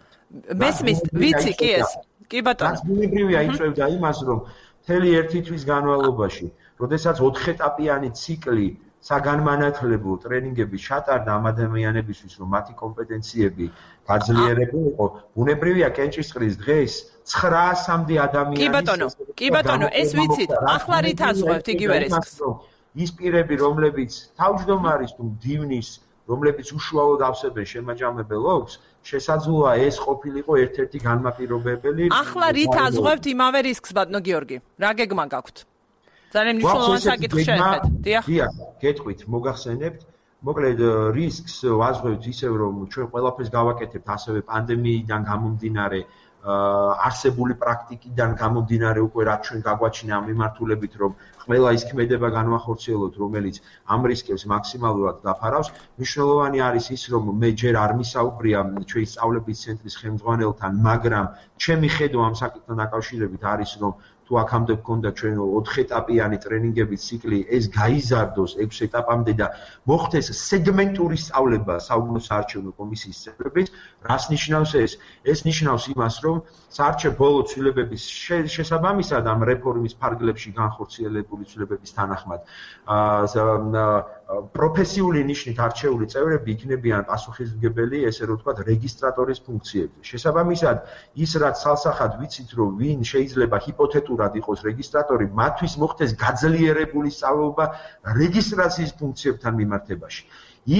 მესმის, ვიცი კი ეს. კი ბატონო. ბუნებრივია იწევდა იმას, რომ მთელი ერთი თვის განმავლობაში, როდესაც 4 ეტაპიანი ციკლი საგანმანათლებლო ტრენინგების ჩატარდა ამ ადამიანებისთვის, რომ მათი კომპეტენციები გაძლიერებულიყო, ბუნებრივია კენჭისყრის დღეს 900-მდე ადამიანის კი ბატონო, ეს ვიცით. ახლა რით აზღვევთ იგივე რისკს? ის პირები, რომლებიც თავმჯდომარის თუ მდივნის, რომლებიც უშუალოდ ავსებენ შემაჯამებელ ოლქს, შესაძლოა ეს ყოფილიყო ერთ-ერთი განმაპირობებელი. ახლა რით აზღვევთ იმავე რისკს, ბატონო გიორგი? რა გეგმა გაქვთ? ძალიან მნიშვნელოვანი საკითხი შეეხეთ. დიახ, გეტყვით, მოგახსენებთ. მოკლედ რისკს ვაზღვევთ ისევ, რომ ჩვენ ყველაფერს გავაკეთებთ ასევე პანდემიიდან გამომდინარე, არსებული პრაქტიკიდან გამომდინარე უკვე რაც ჩვენ გაგვაჩინა ამ მიმართულებით, რომ ყველა ის ქმედება განვახორციელოთ, რომელიც ამ რისკებს მაქსიმალურად დაფარავს. მნიშვნელოვანი არის ის, რომ მე ჯერ არ მისაუბრია ჩვენი სწავლების ცენტრის ხელმძღვანელთან, მაგრამ ჩემი ხედვა ამ საკითხთან დაკავშირებით არის, რომ თუ აქამდე გქონდა ჩვენ 4 ეტაპიანი ტრენინგების ციკლი, ეს გაიზარდოს 6 ეტაპამდე და მოხდეს სეგმენტური სწავლება საუგნო საარჩევნო კომისიის წევრების. რას ნიშნავს ეს? ეს ნიშნავს იმას, რომ საარჩევნო ბოლო ცვლილებების შესაბამისად ამ რეფორმის ფარგლებში განხორციელებული ცვლილებების თანახმად პროფესიული ნიშნით არჩეული წევრები იქნებიან პასუხისმგებელი, ესე რომ ვთქვათ, რეგისტრატორის ფუნქციებზე. შესაბამისად, ის რაც სალსახად ვიცით, რომ ვინ შეიძლება ჰიპოთეტურად იყოს რეგისტრატორი, მათთვის მოხდეს გაძლიერებული სწავლება რეგისტრაციის ფუნქციებთან მიმართებაში.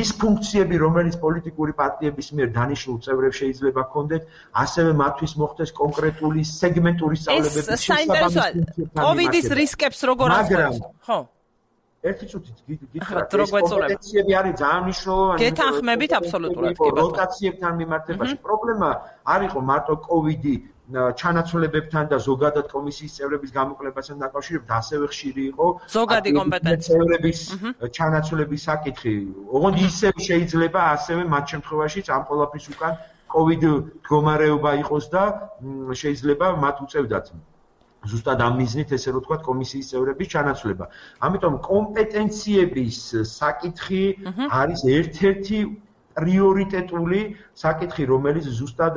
ის ფუნქციები, რომელიც პოლიტიკური პარტიების მიერ დანიშნულ წევრებს შეიძლება ჰქონდეთ, ასევე მათთვის მოხდეს კონკრეტული სეგმენტური სწავლებების შესაბამისი. ეს საინტერესოა. კოვიდის რისკებს როგორ აზროვნებთ? ხო. ერთი წუთით გითხრათ, ეს კომპეტენციები არის ძალიან მნიშვნელოვანი. გეთანხმებით აბსოლუტურად, კი ბატონო. როტაციებთან მიმართებაში პრობლემა არ იყო მარტო კოვიდი ჩანაცვლებებთან და ზოგადად კომისიის წევრების გამოკლებასთან დაკავშირებით, ასევე ხშირი იყო ზოგადი კომპეტენცია წევრების ჩანაცვლების საკითხი. ოღონდ ისევ შეიძლება ასევე მათ შემთხვევაშიც ამ ყველაფრის უკან კოვიდ მდგომარეობა იყოს და შეიძლება მათ უწევდათ ზუსტად ამ მიზნით, ესე რომ ვთქვათ, კომისიის წევრების ჩანაცვლება. ამიტომ კომპეტენციების საკითხი არის ერთ-ერთი პრიორიტეტული საკითხი, რომელიც ზუსტად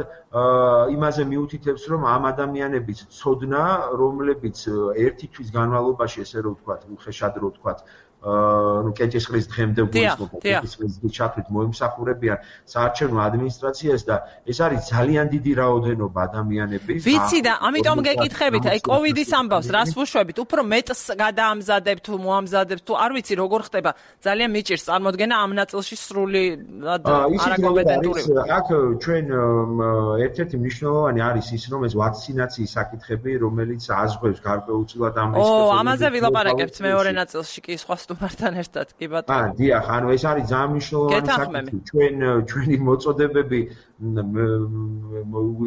იმაზე მიუთითებს, რომ ამ ადამიანების ცოდნა, რომლებიც ერთი თვის განმავლობაში, ესე რომ ვთქვათ, უხეშად რო ვთქვათ, კენჭისყრის დღემდე კენჭისყრის ჩათვლით მოიმსახურებიან საარჩევნო ადმინისტრაციას და ეს არის ძალიან დიდი რაოდენობა ადამიანების. ვიცი და ამიტომ გეკითხებით, აი კოვიდის ამბავს რას ვუშვებით, უფრო მეტს გადაამზადებთ თუ მოამზადებთ თუ არ ვიცი როგორ ხდება, ძალიან მიჭირს წარმოდგენა ამ ნაწილში სრული არაკომპეტენტური. აქ ჩვენ ერთ-ერთი მნიშვნელოვანი არის ის, რომ ეს ვაქცინაციის საკითხები, რომელიც აზღვევს გარკვეულწილად ამ რისკებს. ამაზე ვილაპარაკებთ მეორე ნაწილში კი სხვა სტუმართან ერთად, კი ბატონო. დიახ, ანუ ეს არის ძალიან მნიშვნელოვანი საკითხი. ჩვენი მოწოდებები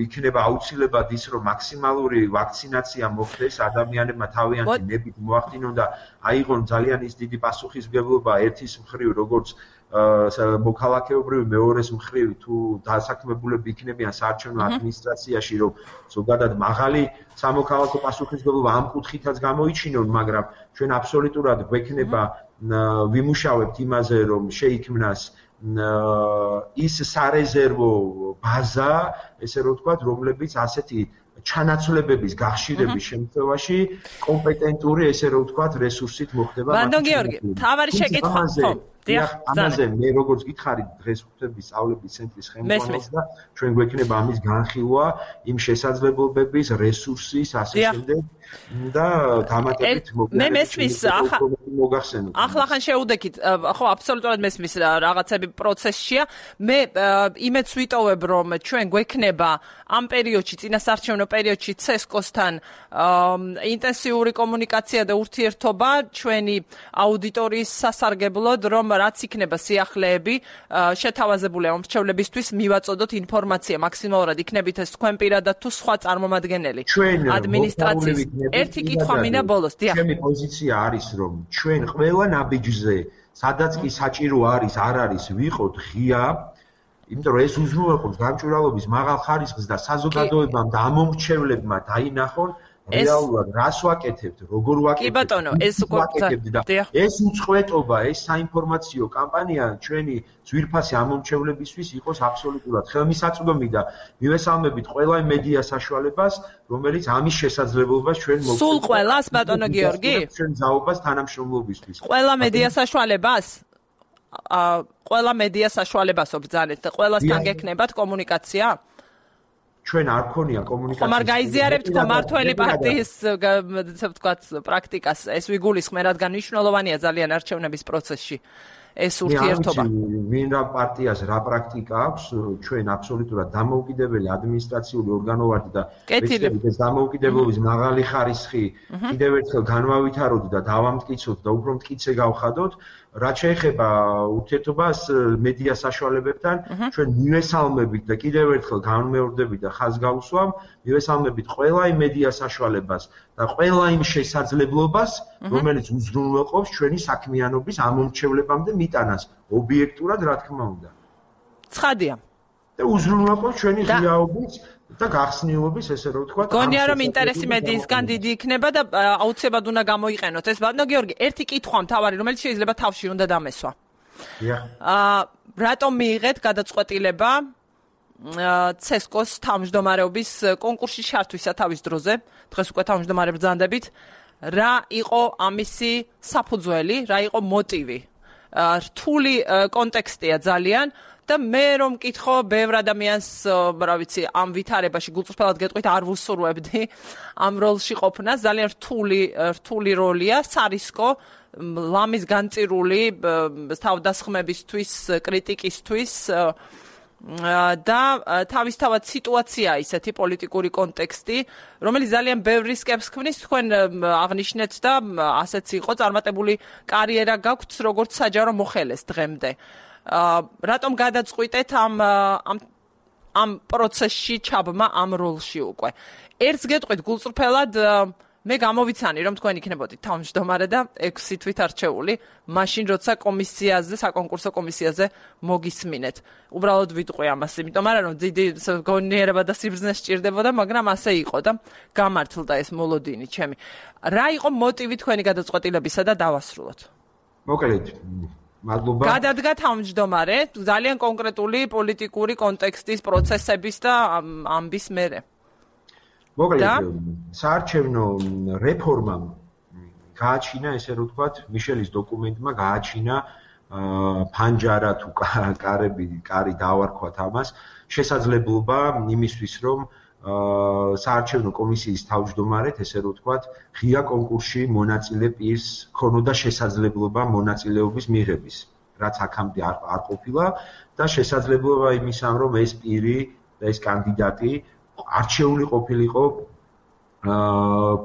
იქნება აუცილებლად ის, რომ მაქსიმალური ვაქცინაცია მოხდეს, ადამიანებმა თავიანთი ნებით მოახდინონ და აიღონ ძალიან ის დიდი პასუხისმგებლობა ერთის მხრივ, როგორც მოქალაქეობრივი, მეორეს მხრივ თუ დასაქმებულები იქნებიან საარჩევნო ადმინისტრაციაში, რომ ზოგადად მაღალი სამოქალაქო პასუხისმგებლობა ამ კუთხითაც გამოიჩინონ, მაგრამ ჩვენ აბსოლუტურად გვექნება ვიმუშავებთ იმაზე, რომ შეიქმნას ის სარეზერვო ბაზა, ესე რომ ვთქვათ, რომლებიც ასეთი ჩანაცვლებების გახშირების შემთხვევაში კომპეტენტური, ესე რომ ვთქვათ, რესურსით მოხდება. ბატონო გიორგი, თავარი შეკითხვა, ხო, ამაზე მე როგორც გითხარი დღეს ხუთების სწავლების ცენტრის ხელმძღვანელს და ჩვენ გვექნება ამის განხილვა იმ შესაძლებლობების, რესურსის, ასე შემდეგ და დამატებით მე მესმის მოგახსენოთ. ახლახან შეუდექით, ხო, აბსოლუტურად მესმის რაღაცები პროცესშია. მე იმედს ვიტოვებ, რომ ჩვენ გვექნება ამ პერიოდში, წინასარჩევნო პერიოდში CESCO-სთან ინტენსიური კომუნიკაცია და ურთიერთობა ჩვენი აუდიტორიის სასარგებლოდ, რომ რაც იქნება სიახლეები შეთავაზებული ამ მრჩევლებისთვის მივაწოდოთ ინფორმაცია მაქსიმალურად იქნებით ეს თქვენ პირადად თუ სხვა წარმომადგენელი ადმინისტრაციის. ერთი კითხვა მინდა ბოლოს. ჩემი პოზიცია არის, რომ ჩვენ ყველა ნაბიჯზე, სადაც კი საჭირო არის, არ არის, ვიყოთ ღია, იმიტომ რომ ეს უზრუნველყოფს გამჭვირვალობის მაღალ ხარისხს და საზოგადოებამ და ამომრჩევლებმა დაინახონ რეალურად რას ვაკეთებთ, როგორ ვაკეთებთ. კი ბატონო, ეს ეს უწყვეტობა, ეს საინფორმაციო კამპანია ჩვენი ძვირფასი ამომრჩევლებისთვის იყოს აბსოლუტურად ხელმისაწვდომი და მივესალმებით ყველა მედია საშუალებას, რომელიც ამის შესაძლებლობას ჩვენ მოგცემთ. სულ ყველას, ბატონო გიორგი? ჩვენ ძალობას თანამშრომლობისთვის. ყველა მედია საშუალებას? ყველა მედია საშუალებას ობრძანეთ და ყველასთან გექნებათ კომუნიკაცია? ჩვენ არ ქონია კომუნიკაცია. ხომ არ გაიზიარებთ მმართველი პარტიის ასე ვთქვათ პრაქტიკას, ეს ვიგულისხმე, რადგან მნიშვნელოვანია ძალიან არჩევნების პროცესში ეს ურთიერთობა. ვინ რა პარტიას რა პრაქტიკა აქვს, ჩვენ აბსოლუტურად დამოუკიდებელი ადმინისტრაციული ორგანო ვართ და ეს დამოუკიდებლობის მაღალი ხარისხი კიდევ ერთხელ განვავითაროთ და დავამტკიცოთ და უფრო მტკიცე გავხადოთ. რაც შეეხება ურთიერთობას მედია საშუალებებთან, ჩვენ მივესალმებით და კიდევ ერთხელ განმეორდებით და ხაზს გავუსვამ, მივესალმებით ყველა იმ მედია საშუალებას და ყველა იმ შესაძლებლობას, რომელიც უზრუნველყოფს ჩვენი საქმიანობის ამომრჩევლებამდე მიტანას, ობიექტურად, რა თქმა უნდა. ცხადია. და უზრუნველყოფს ჩვენი ღიაობის და გახსნილობის, ესე რომ ვთქვათ. გონია რომ ინტერესი მედიისგან დიდი იქნება და აუცილებლად უნდა გამოიყენოთ ეს. ბატონო გიორგი, ერთი კითხვა მთავარი, რომელიც შეიძლება თავში უნდა დამესვა. რატომ მიიღეთ გადაწყვეტილება CESCO-ს თავმჯდომარეობის კონკურსში ჩართვისა თავის დროზე? დღეს უკვე თავმჯდომარე ბრძანდებით. რა იყო ამისი საფუძველი, რა იყო მოტივი? რთული კონტექსტია ძალიან. და მე რომ მკითხო ბევრ ადამიანს, რა ვიცი, ამ ვითარებაში გულწრფელად გეტყვით არ ვუსურვებდი ამ როლში ყოფნას, ძალიან რთული როლია, სარისკო, ლამის განწირული თავდასხმებისთვის, კრიტიკისთვის და თავისთავად სიტუაცია ისეთი პოლიტიკური კონტექსტი, რომელიც ძალიან ბევრ რისკებს ქმნის, თქვენ აღნიშნეთ და ასეც იყო, წარმატებული კარიერა გაქვთ როგორც საჯარო მოხელეს დღემდე. რატომ გადაწყვიტეთ ამ პროცესში ჩაბმა ამ როლში უკვე? ერთს გეტყვით გულწრფელად, მე გამოვიცანი რომ თქვენ იქნებოდით თავმჯდომარე და 6 თვით არჩეული, მაშინ როცა კომისიაზე, საკონკურსო კომისიაზე მოგისმინეთ. უბრალოდ ვიტყვი ამას, იმიტომ რომ დიდი გონიერება და სიბრძნე სჭირდებოდა, მაგრამ ასე იყო და გამართლდა ეს მოლოდინი ჩემი. რა იყო მოტივი თქვენი გადაწყვეტილებისა და დავასრულოთ? მოკლედ მადლობა. გადადგა თავმჯდომარე ძალიან კონკრეტული პოლიტიკური კონტექსტის პროცესების და ამბის მერე. მოკლედ საარჩევნო რეფორმამ გააჩინა, ესე რომ ვთქვათ, მიშელის დოკუმენტმა გააჩინა ფანჯარა თუ კარი დავარქვათ ამას, შესაძლებლობა იმისთვის, რომ საარჩევნო კომისიის თავმჯდომარედ, ესე რომ ვთქვათ, ღია კონკურსში მონაწილე პირს ქონოდა შესაძლებლობა მონაწილეობის მიღების, რაც აქამდე არ ყოფილა და შესაძლებლობა იმისა, რომ ეს პირი და ეს კანდიდატი არჩეული ყოფილიყო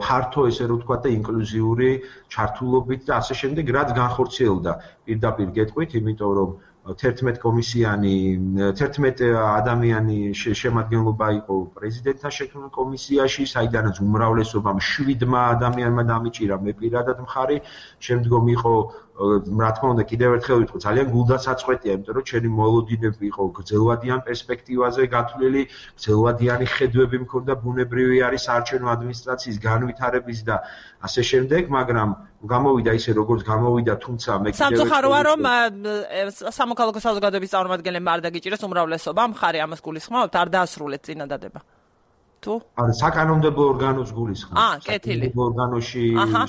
ფართო, ესე რომ ვთქვათ, და ინკლუზიური ჩართულობით და ასე შემდეგ, რაც განხორციელდა პირდაპირ გეტყვით, იმიტომ რომ 11 ადამიანი შემადგენლობა იყო პრეზიდენტთან შექმნილ კომისიაში, საიდანაც უმრავლესობამ 7 ადამიანმა დამიჭირა, მე პირადად მხარი, შემდგომ იყო, რა თქმა უნდა, კიდევ ერთხელ ვიტყვი, ძალიან გულდასაწყვეტია, იმიტომ რომ ჩემი მოლოდინები იყო გრძელვადიან პერსპექტივაზე გათვლილი, გრძელვადიანი ხედვები მქონდა, ბუნებრივი არის საარჩევნო ადმინისტრაციის განვითარების და ასე შემდეგ, მაგრამ გამოვიდა ისე როგორც გამოვიდა, თუმცა მე კიდევ სამწუხაროა რომ სამოქალაქო საზოგადოების წარმომადგენლებმა არ დაგიჭირეს უმრავლესობა, მხარი ამას გულისხმობთ, არ დაასრულეთ წინადადება. თუ? არის საკანონმდებლო ორგანოს გულისხმობს. კეთილი. ორგანოში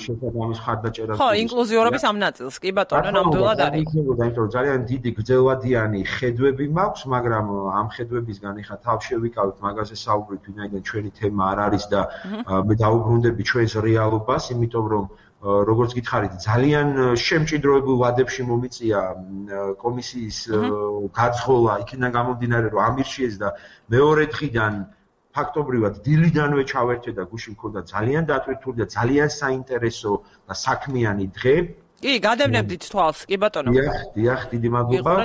შესაბამის ხარდაჭერა. ხო, ინკლუზიურობის ამ ნაწილს, კი ბატონო, ნამდვილად არის. იქნებოდა, იმიტომ რომ ძალიან დიდი გრძელვადიანი ხედვები მაქვს, მაგრამ ამ ხედვებისგან ეხა თავ შევიკავით მაგაზე საუბრით, ვინაიდან ჩვენი თემა არ არის და მე დაუბრუნდები ჩვენს რეალობას, იმიტომ რომ როგორც გითხარით, ძალიან შემჭიდროებულ ვადებში მომიწია კომისიის გაძღოლა, იქიდან გამომდინარე, რომ ამირჩიეს და მეორე დღიდან ფაქტობრივად დილიდანვე ჩავერთვე და გუში მქონდა ძალიან დატვირთული და ძალიან საინტერესო და საქმიანი დღე. კი, გადავნებდით თვალს, კი ბატონო. დიახ, დიდი მადლობა.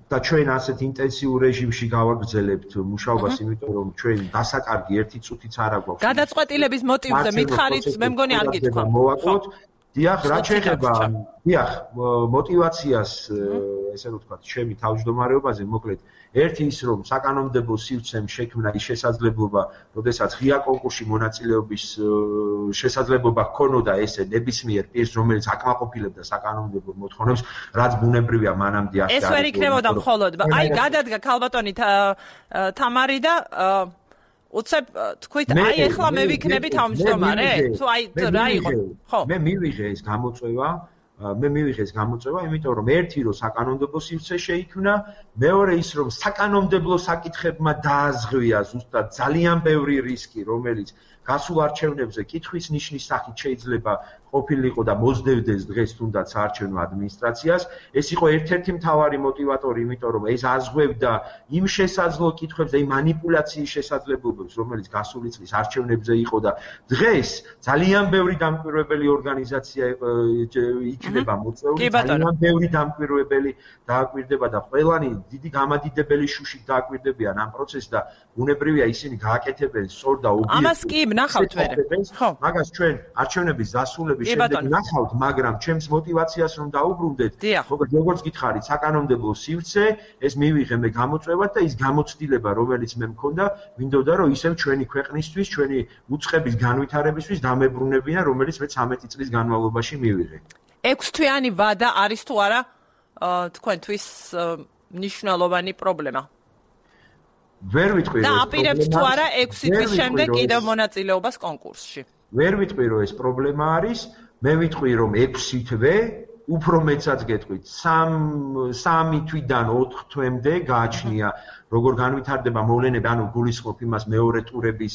და ჩვენ ასეთ ინტენსიურ რეჟიმში გავაგრძელებთ მუშაობას, იმიტომ რომ ჩვენ დასაკარგი ერთი წუთიც არ აგვაქვს. გადაწყვეტილების მოტივზე მითხარით, მე მგონი არ გითხრა. მოვაკლოთ. დიახ, რა შეიძლება, მოტივაციას, ესე რომ ვთქვათ, ჩემი თავმჯდომარეობაზე, მოკლედ, ერთი ის რომ საკანონმდებლო სივრცემ შექმნა ის შესაძლებლობა, როდესაც ღია კონკურსში მონაწილეობის შესაძლებლობა ჰქონოდა ესე ნებისმიერ პირს, რომელიც აკმაყოფილებდა საკანონმდებლო მოთხოვნებს, რაც ბუნებრივია მანამდე ასე არის. ეს ვერ იქნებოდა მხოლოდ, აი გადადგა ქალბატონი თამარი და უცებ თქვით, აი ეხლა მე ვიქნები თავმჯდომარე? თუ აი რა იყო? ხო. მე მივიღე ეს გამოწვევა, იმიტომ რომ ერთი რომ საკანონმდებლო სივრცე შეიქმნა, მეორე ის რომ საკანონმდებლო საკითხებმა დააზღვია ზუსტად ძალიან ბევრი რისკი, რომელიც გასულ არჩევნებზე კითხვის ნიშნის სახით შეიძლება ყოფილიყო და მოსდევდეს დღეს თუნდაც საარჩევნო ადმინისტრაციას. ეს იყო ერთ-ერთი მთავარი მოტივატორი, იმიტომ რომ ეს აზღვევდა იმ შესაძლო კითხვებს და იმ მანიპულაციის შესაძლებლობებს, რომელიც გასული წლის არჩევნებზე იყო და დღეს ძალიან ბევრი დამკვირვებელი ორგანიზაცია იქნება მოწვეული, ძალიან ბევრი დამკვირვებელი დააკვირდება და ყველანი დიდი გამადიდებელი შუშით დააკვირდებიან ამ პროცესს და ბუნებრივია ისინი გააკეთებენ სწორ და ობიექტურ. ამას კი ნახავთ მე. ხო. მაგას ჩვენ არჩევნების დასრულების შემდეგ ნახავთ, მაგრამ ჩემს მოტივაციას რომ დაუბრუნდეთ, როგორც გითხარით, საკანონმდებლო სივრცე, ეს მივიღე მე გამოწვევად და ის გამოცდილება, რომელიც მე მქონდა, მინდოდა რომ ისევ ჩვენი ქვეყნისთვის, ჩვენი უწყების განვითარებისთვის დამებრუნებინა, რომელიც მე 13 წლის განმავლობაში მივიღე. 6 თვიანი ვადა არის თუ არა თქვენთვის მნიშვნელოვანი პრობლემა? ვერ ვიტყვი და აპირებთ თუ არა 6 თვის შემდეგ კიდევ მონაწილეობას კონკურსში? ვერ ვიტყვი რომ ეს პრობლემა არის, მე ვიტყვი რომ 6 თვე, უფრო მეცაც გეტყვით, 3 თვიდან 4 თვემდე გააჩნია როგორ განვითარდება მოვლენები, ანუ გულისხმობ იმას მეორე ტურების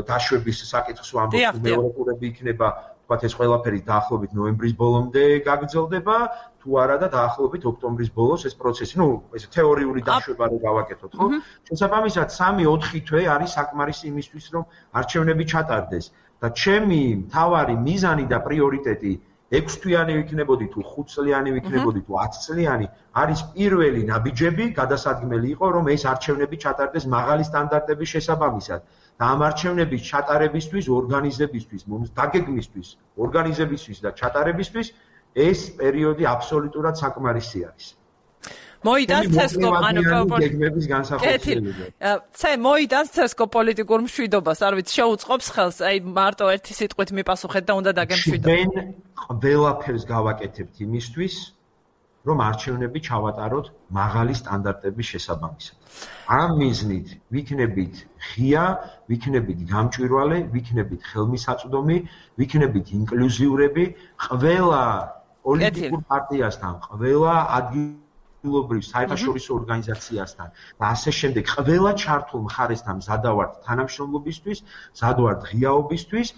დაშვების საკითხს ვამბობ, მეორე ტურები იქნება, ვთქვათ, ეს ყველაფერი დაახლოებით ნოემბრის ბოლომდე გაგრძელდება, თუ არა და დაახლოებით ოქტომბრის ბოლოს ეს პროცესი, ეს თეორიული დაშვება რო გავაკეთოთ, ხო? შესაბამისად 3-4 თვე არის საკმარისი იმისთვის, რომ არჩევნები ჩატარდეს და ჩემი მთავარი მიზანი და პრიორიტეტი 6 თვიანი ვიქნებოდი თუ 5 წლიანი ვიქნებოდი თუ 10 წლიანი არის პირველი ნაბიჯები გადასადგმელი იყო რომ ეს არჩევნები ჩატარდეს მაღალი სტანდარტების შესაბამისად და ამ არჩევნების ჩატარებისთვის ორგანიზებისთვის დაგეგმისთვის ორგანიზებისთვის და ჩატარებისთვის ეს პერიოდი აბსოლუტურად საკმარისი არის. მოიტანს ცესკო გეგმების განსახორციელება. მოიტანს ცესკო პოლიტიკურ მშვიდობას, არ ვიცი, შეუწყობს ხელს, აი მარტო ერთი სიტყვით მიპასუხეთ და უნდა დაგემშვიდოთ. ჩვენ ყველაფერს გავაკეთებთ იმისთვის, რომ არჩევნები ჩავატაროთ მაღალი სტანდარტების შესაბამისად. ამ მიზნით ვიქნებით ღია, ვიქნებით გამჭვირვალე, ვიქნებით ხელმისაწვდომი, ვიქნებით ინკლუზიურები, ყველა პოლიტიკურ პარტიასთან, ყველა ადგილობრივ საერთაშორისო ორგანიზაციასთან და ასე შემდეგ ყველა ჩართულ მხარესთან მზადავართ თანამშრომლობისთვის, მზადავართ ღიაობისთვის.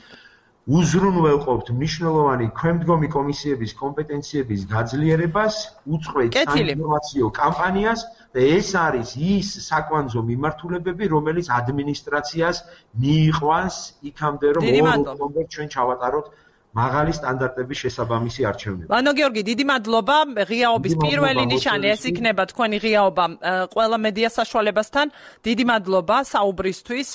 უზრუნველყოფთ მნიშვნელოვანი ქვემდგომი კომისიების კომპეტენციების გაძლიერებას, უწყვეტ საინფორმაციო კამპანიას და ეს არის ის საკვანძო მიმართულებები, რომელიც ადმინისტრაციას მიიყვანს იქამდე, რომ ოქტომბერში ჩვენ ჩავატაროთ მაღალი სტანდარტების შესაბამისი არჩევნები. ვანო გიორგი, დიდი მადლობა. ღიაობის პირველი ნიშანი ეს იქნება თქვენი ღიაობა ყველა მედია საშუალებასთან. დიდი მადლობა საუბრისთვის,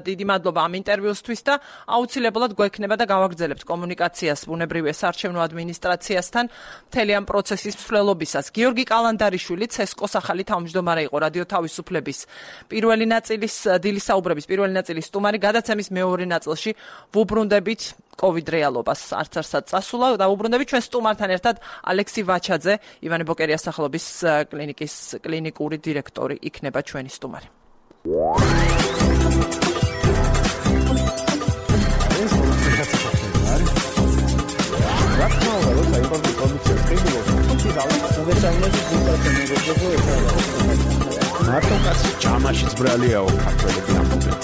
დიდი მადლობა ამ ინტერვიუსთვის და აუცილებლად გვექნება და გავაგრძელებთ კომუნიკაციას ბუნებრივია საარჩევნო ადმინისტრაციასთან მთელი ამ პროცესის მსვლელობისას. გიორგი კალანდარიშვილი, ცესკოს ახალი თავმჯდომარე იყო რადიო თავისუფლების პირველი ნაწილის დილის საუბრების პირველი ნაწილის სტუმარი, გადაცემის მეორე ნაწილში ვუბრუნდებით COVID რეალობას არცარსად წასულა და უბრუნდები ჩვენ სტუმართან ერთად ალექსი ვაჩაძე, ივანე ბოკერიას სახელობის კლინიკის კლინიკური დირექტორი იქნება ჩვენი სტუმარი. მარტო კაცი ჯამაშიც ბრალიაო ქართველები ამბობენ.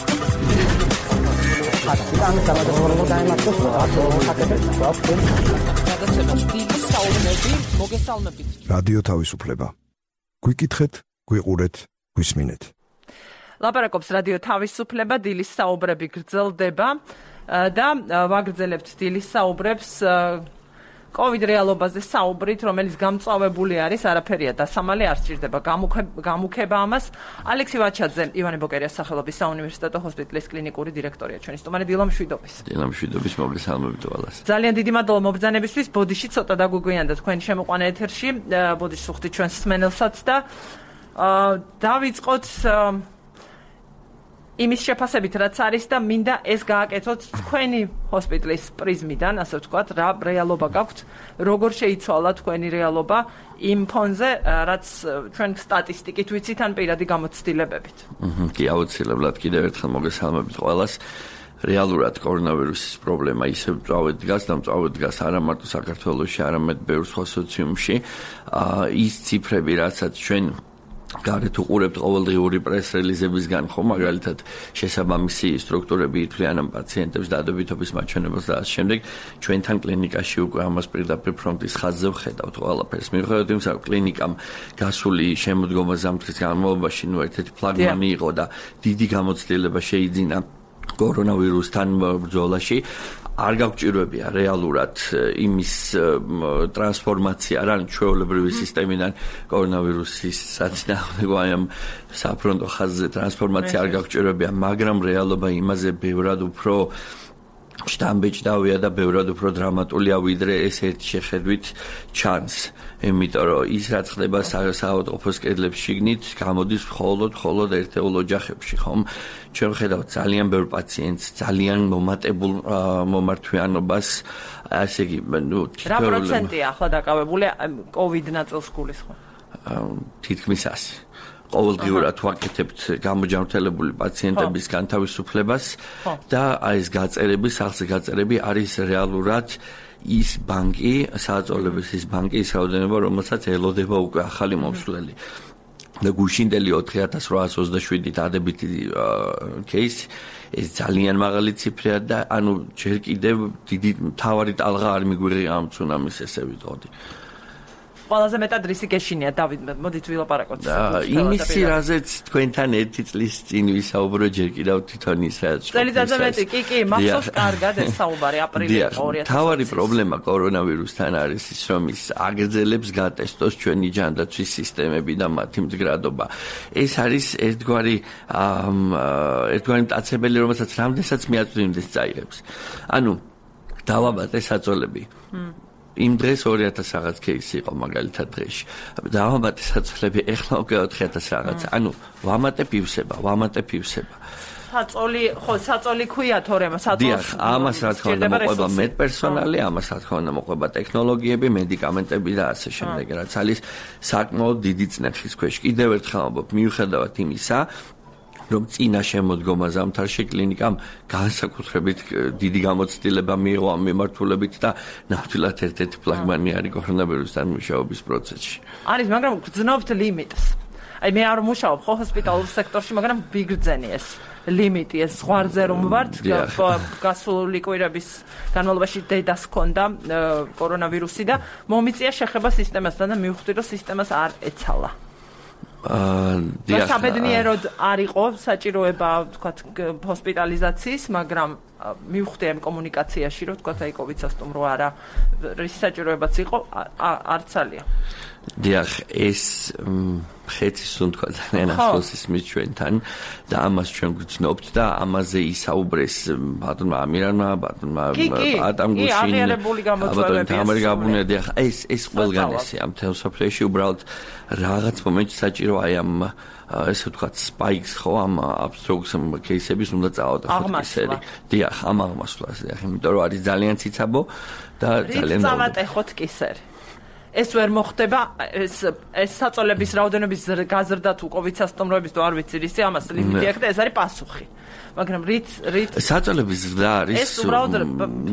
რადიო თავისუფლება. გვიკითხეთ, გვიყურეთ, გვისმინეთ. ლაპარაკობს რადიო თავისუფლება, დილის საუბრები გრძელდება და ვაგრძელებთ დილის საუბრებს COVID რეალობაზე საუბრით, რომელიც გამწვავებული არის, არაფერია დასამალი, არ სჭირდება გამუქება ამას. ალექსი ვაჩაძე, ივანე ბოკერიას სახელობის საუნივერსიტეტო ჰოსპიტალის კლინიკური დირექტორია ჩვენი სტუმარი. დილა მშვიდობის. დილა მშვიდობის, მოგესალმებით ყველას. ძალიან დიდი მადლობა მობრძანებისთვის. ბოდიში ცოტა დაგვიგვიანდა თქვენი შემოყვანა ეთერში. ბოდიში სუხთით ჩვენს მსმენელსაც და დავიწყოთ იმის შეფასებით, რაც არის და მინდა ეს გააკეთოთ თქვენი ჰოსპიტალის პრიზმიდან, ასე ვთქვათ, რა რეალობა გაქვთ, როგორ შეიცვალა თქვენი რეალობა იმ ფონზე, რაც ჩვენ სტატისტიკით ვიცით ან პირადი გამოცდილებებით. კი, აუცილებლად კიდევ ერთხელ მოგესალმებით ყველას. რეალურად კორონავირუსის პრობლემა ისევ მწვავედ დგას და მწვავედ დგას არა მარტო საქართველოში, არამედ ბევრ სხვა სოციუმში. ის ციფრები, რასაც ჩვენ გარეთ უყურებთ ყოველდღიური პრეს-რელიზებისგან, ხო, მაგალითად, შესაბამისი სტრუქტურები ითვლიან ამ პაციენტებს დადებითობის მაჩვენებელს და ამ შემდეგ ჩვენთან კლინიკაში უკვე ამას პირდაპირ ფრონტის ხაზზე ვხედავთ ყველაფერს. მიუხედავად იმისა, რომ კლინიკამ გასული შემოდგომა ზამთრის განმავლობაში ერთ-ერთი ფლაგმანი იყო და დიდი გამოცდილება შეიძინა კორონავირუსთან ბრძოლაში, არ გაგვჭირვებია რეალურად იმის ტრანსფორმაცია რა ჩვეულებრივი სისტემიდან კორონავირუსის საწინააღმდეგო ამ საფრონტო ხაზზე ტრანსფორმაცია არ გაგვჭირვებია, მაგრამ რეალობა იმაზე ბევრად უფრო შტამბეჭდავია და ბევრად უფრო დრამატულია, ვიდრე ეს ერთი შეხედვით ჩანს. იმიტომ რომ ის რაც ხდება საავადმყოფოს კედლებს შიგნით, გამოდის მხოლოდ ერთეულ ოჯახებში, ხომ? ჩვენ ვხედავთ ძალიან ბევრ პაციენტს, ძალიან მომატებულ მომართვიანობას, ასე იგი, რა პროცენტია ახლა დაკავებული COVID ნაწილს გულისხმობ? თითქმის 100. ყოველდღიურად ვაკეთებთ გამოჯანმრთელებული პაციენტების განთავისუფლებას და ეს გაწერები, სახლზე გაწერები არის რეალურად ის ბანკი, სააწოლების ის ბანკი, ის რაოდენობა, რომელსაც ელოდება უკვე ახალი მომსვლელი. და გუშინდელი 4827 დადებითი кейსი, ეს ძალიან მაღალი ციფრია და ანუ ჯერ კიდევ დიდი მთავარი ტალღა არ მიგვიღია ამ ცუნამის, ესე ვიტყოდი. ყველაზე მეტად რისი გეშინია, დავით, მოდით ვილაპარაკოთ. იმისი, რაზეც თქვენთან ერთი წლის წინ ვისაუბრო, ჯერ კიდევ თვითონ ის რაც წელიწადზე მეტი, კი, მახსოვს კარგად ეს საუბარი აპრილი 2020. თავარი პრობლემა კორონავირუსთან არის ის, რომ ის აგრძელებს გატესტოს ჩვენი ჯანდაცვის სისტემები და მათი მდგრადობა. ეს არის ერთგვარი მტაცებელი, რომელსაც რამდენსაც მიაწვდიმდეს წაიღებს. ანუ დავაბატე საწოლები. იმ დღეს 2000 რაღაც кейსი იყო მაგალითად დღეში. დავამატე საწოლები, ეხლა უკვე 4000 რაღაც. ანუ ვამატებ ივსება. საწოლი ქვია თორემ საწოლს. დიახ, ამას რა თქმა უნდა მოყვება მედპერსონალი, ამას რა თქმა უნდა მოყვება ტექნოლოგიები, მედიკამენტები და ასე შემდეგ, რაც არის საკმაოდ დიდი წნეხის ქვეშ. კიდევ ერთხელ ამბობ, მიუხედავად იმისა, რომ წინა შემოდგომა ზამთარში კლინიკამ განსაკუთრებით დიდი გამოცდილება მიიღო ამ მიმართულებით და ნამდვილად ერთ-ერთი ფლაგმანი არის კორონავირუსთან მუშაობის პროცესში. არის, მაგრამ გძნობთ ლიმიტს. აი მე არ მუშაობ ხო ჰოსპიტალურ სექტორში, მაგრამ ვიგრძენი ეს ლიმიტი, ეს ზღვარზე რომ ვართ, გასული კვირების განმავლობაში დედას ჰქონდა კორონავირუსი და მომიწია შეხება სისტემასთან და მივხვდი, რომ სისტემას არ ეცალა. საბედნიეროდ არ იყო საჭიროება, ვთქვათ, ჰოსპიტალიზაციის, მაგრამ მივხვდი ამ კომუნიკაციაში, რომ ვთქვათ, აი COVID სასტუმრო არა, რის საჭიროებაც იყო, არც ალია. დიახ, ეს ხეთის უნდა ძალიან ახლოს ისმის ჩვენთან და ამას ჩვენ გვცნობთ და ამაზე ისაუბრეს ბატონმა ამირანმა, ბატონმა პატამგუშინმა, ბატონმა ამერგაბუნია. დიახ, ეს ყველგან ესეა მთელ სოფლიოში, უბრალოდ რაღაც მომენტში საჭირო აი ამ ესე ვთქვათ spikes ხო ამ abstracts кейსების უნდა წავადოთ ისეთი. დიახ, ამ აღმასვლას, დიახ, იმიტომ რომ არის ძალიან ციცაბო და ძალიან წავატეხოთ კისერი. ეს ვერ მოხდება, ეს საწოლების რაოდენობის გაზრდა თუ COVID სასტუმროების თუ არ ვიცი რისი, ამას ლიმიტი აქვს და ეს არის პასუხი. მაგრამ რით საწოლების ზრდა არის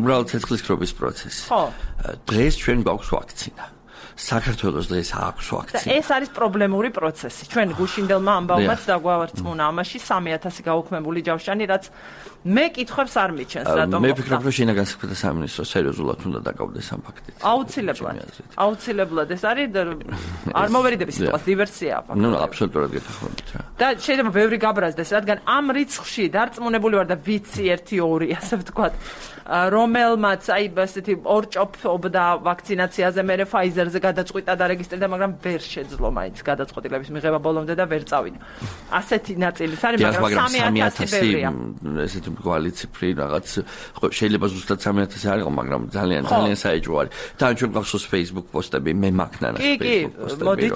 უბრალოდ ცეცხლისქრობის პროცესი. ხო. დღეს ჩვენ გვაქვს ვაქცინა. საქართველოს დღეს აქვს ვაქცინა. ეს არის პრობლემური პროცესი. ჩვენ გუშინდელმა ამბავმაც დაგვავარწმუნა ამაში 3000 გაუქმებული ჯავშანი, რაც მე კითხვებს არ მიჩენს, რატომ მე ვფიქრობ, რომ შინაგან საქმეთა სამინისტრო სერიოზულად უნდა დაკავდეს ამ ფაქტით. აუცილებლად ეს არის არ მოვერიდების სიტყვას დივერსია ფაქტობრივად. ნუ აბსოლუტურად გეთახმებით რა. და შეიძლება ბევრი გაბრაზდეს, რადგან ამ რიცხვში დარწმუნებული ვარ და ვიცი 1-2, ასე ვთქვათ, რომელმაც აი ესეთი ორჭოფობდა ვაქცინაციაზე, მერე Pfizer-ზე გადაწყვიტა და რეგისტრირდა, მაგრამ ვერ შეძლო მაინც გადაწყვეტილების მიღება ბოლომდე და ვერ წავიდა. ასეთი ნაწილის არის, მაგრამ 3000 ბევრია. ესეთი მრგვალი ციფრი რაღაც შეიძლება ზუსტად 3000 არ იყო, მაგრამ ძალიან საეჭვო არის. და ჩვენ გვახსოვს Facebook პოსტები, მე მაქნანა Facebook პოსტები. მოდით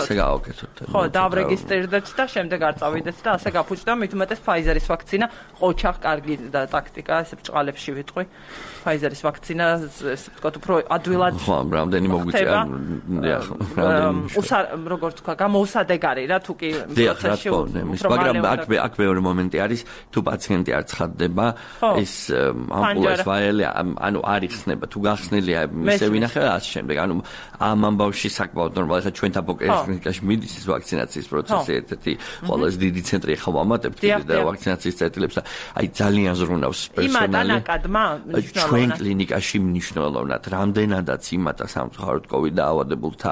ასე გავაკეთოთ. ხო, დავრეგისტრირდეთ და შემდეგ არ წავიდეთ და ასე გაფუჭდა, მით უმეტეს Pfizer-ის ვაქცინა, ოჩახ კარგი და ტაქტიკა, ესე ბჭყალებში ვიტყვი. Pfizer-ის ვაქცინა, ესე ვთქვათ, უფრო ადვილად. ხო, რამდენი მოგვიწია, როგორც თქვა, გამოუსადეგარი რა თუ კი პროცესში. მაგრამ აქ მეორე მომენტი არის, თუ პაციენტი არ ცხადდება, ეს ამპულას ვაელი, ანუ არ იხსნება, თუ გახსნილია, ისე ვინახე და ასე შემდეგ. ანუ ამ ამბავში საკმაოდ ნორმალია, ხა ჩვენ თაბოკერის კლინიკაში მიდის ეს ვაქცინაციის პროცესი, ერთ-ერთი ყველაზე დიდი ცენტრი ხა ვამატებთ და ვაქცინაციის წერტილებს და აი ძალიან ზრუნავს პერსონალი. იმატანაკადმა ჩვენ კლინიკაში მნიშვნელოვნად, რამდენადაც იმატა სამწუხაროდ COVID დაავადებულთა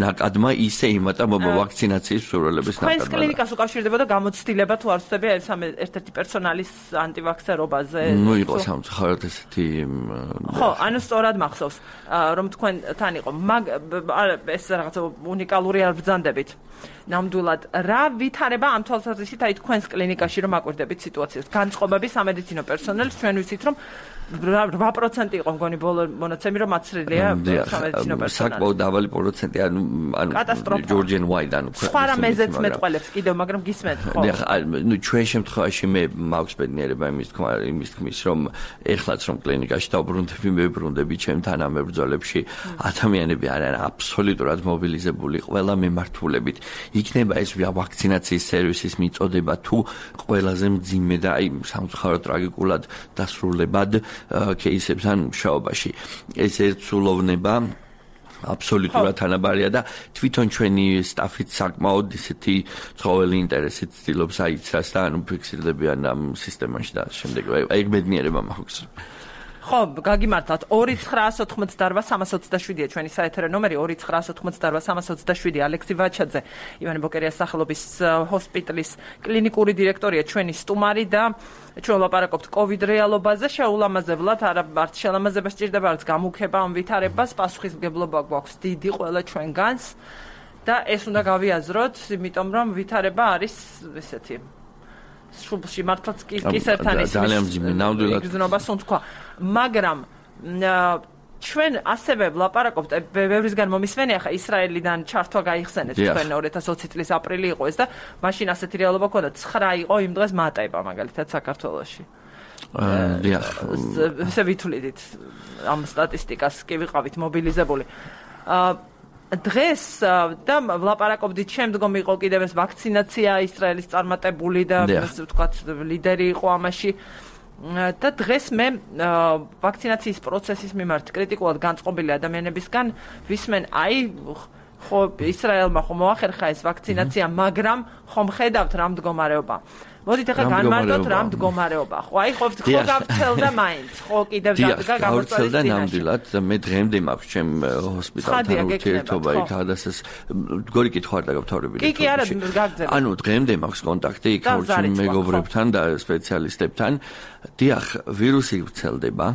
ნაკადმა, ისე იმატა ვაქცინაციის მსურველების ნაკადმა. თქვენს კლინიკას უკავშირდებოდა გამოცდილება თუ არ ვწდები ეს ერთ-ერთი პერსონალის ანტივაქსერობაზე? ნუ იყო სამწუხაროდ ესეთი ხო, ანუ სწორად მახსოვს, რომ თქვენთან იყო, ეს რაღაც უნიკალური არ ბრძანდებით. ნამდვილად რა ვითარება ამ თვალსაზრისით აი თქვენს კლინიკაში რომ აკვირდებით სიტუაციას განწყობები სამედიცინო პერსონალის ჩვენ ვიცით რომ 8% იყო მგონი ბოლო მონაცემი რომ აცრილია სამედიცინო პერსონალი საკმაოდ დაბალი პროცენტი ანუ ჯორჯენ ვაიდ ანუ სხვა რამეზეც მეტყველებს კიდევ მაგრამ გისმენთ ხო ნუ ჩვენ შემთხვევაში მე მაქვს ბედნიერება იმის თქმის რომ ეხლაც რომ კლინიკაში დავბრუნდები ჩემთან ამ მებრძოლებში ადამიანები არიან აბსოლუტურად მობილიზებული ყველა მემართულებით იქნება ეს ვაქცინაციის სერვისის მიწოდება თუ ყველაზე მძიმე და აი სამწუხაროდ ტრაგიკულად დასრულებად кейსებთან მუშაობაში ეს ერთსულოვნება აბსოლუტურად თანაბარია და თვითონ ჩვენი სტაფით საკმაოდ ისეთი ცხოველი ინტერესით ცდილობს აიცრას და ანუ ფიქსირდებიან ამ სისტემაში და შემდეგ ეგ ბედნიერება მაქვს ხო, გაგიმართლათ 2988327-ია ჩვენი საეთერო ნომერი 2988327 ალექსი ვაჩაძე ივანე ბოკერიას სახელობის ჰოსპიტალის კლინიკური დირექტორია ჩვენი სტუმარი და ჩვენ ვლაპარაკობთ COVID რეალობაზე შეულამაზებლად არც შელამაზება სჭირდება არც გამუქება ამ ვითარებას პასუხისმგებლობა გვაქვს დიდი ყველა ჩვენგანს და ეს უნდა გავიაზროთ იმიტომ რომ ვითარება არის ესეთი სრულში მართლაც კისერთან ის ძალიან მძიმე ნამდვილად გზნობას თქვა მაგრამ ჩვენ ასევე ვლაპარაკობთ ბევრისგან მომისმენია ხა ისრაელიდან ჩართვა გაიხსენეთ თქვენ 2020 წლის აპრილი იყო ეს და მაშინ ასეთი რეალობა ქონდა 9 იყო იმ დღეს მატება მაგალითად საქართველოში დიახ ესე ვითვლით ამ სტატისტიკას კი ვიყავით მობილიზებული დღეს და ვლაპარაკობდით შემდგომ იყო კიდევ ეს ვაქცინაცია ისრაელის წარმატებული და ასე ვთქვათ ლიდერი იყო ამაში და დღეს მე ვაქცინაციის პროცესის მიმართ კრიტიკულად განწყობილი ადამიანებისგან ვისმენ აი ხო ისრაელმა ხო მოახერხა ეს ვაქცინაცია მაგრამ ხომ ხედავთ რა მდგომარეობა მოდით ახლა განმარტოთ რა მდგომარეობა ხო აი ხო გავცელდა მაინც ხო კიდევ დადგა გამოწვევის წინაშე ნამდვილად მე დღემდე მაქვს ჩემ ჰოსპიტალთან ურთიერთობა იქ ადასეს გორი კითხვა არ დაგავთავრებინე კი არა გაგზავნე ანუ დღემდე მაქვს კონტაქტი იქ ორჩი მეგობრებთან და სპეციალისტებთან დიახ ვირუსი ვრცელდება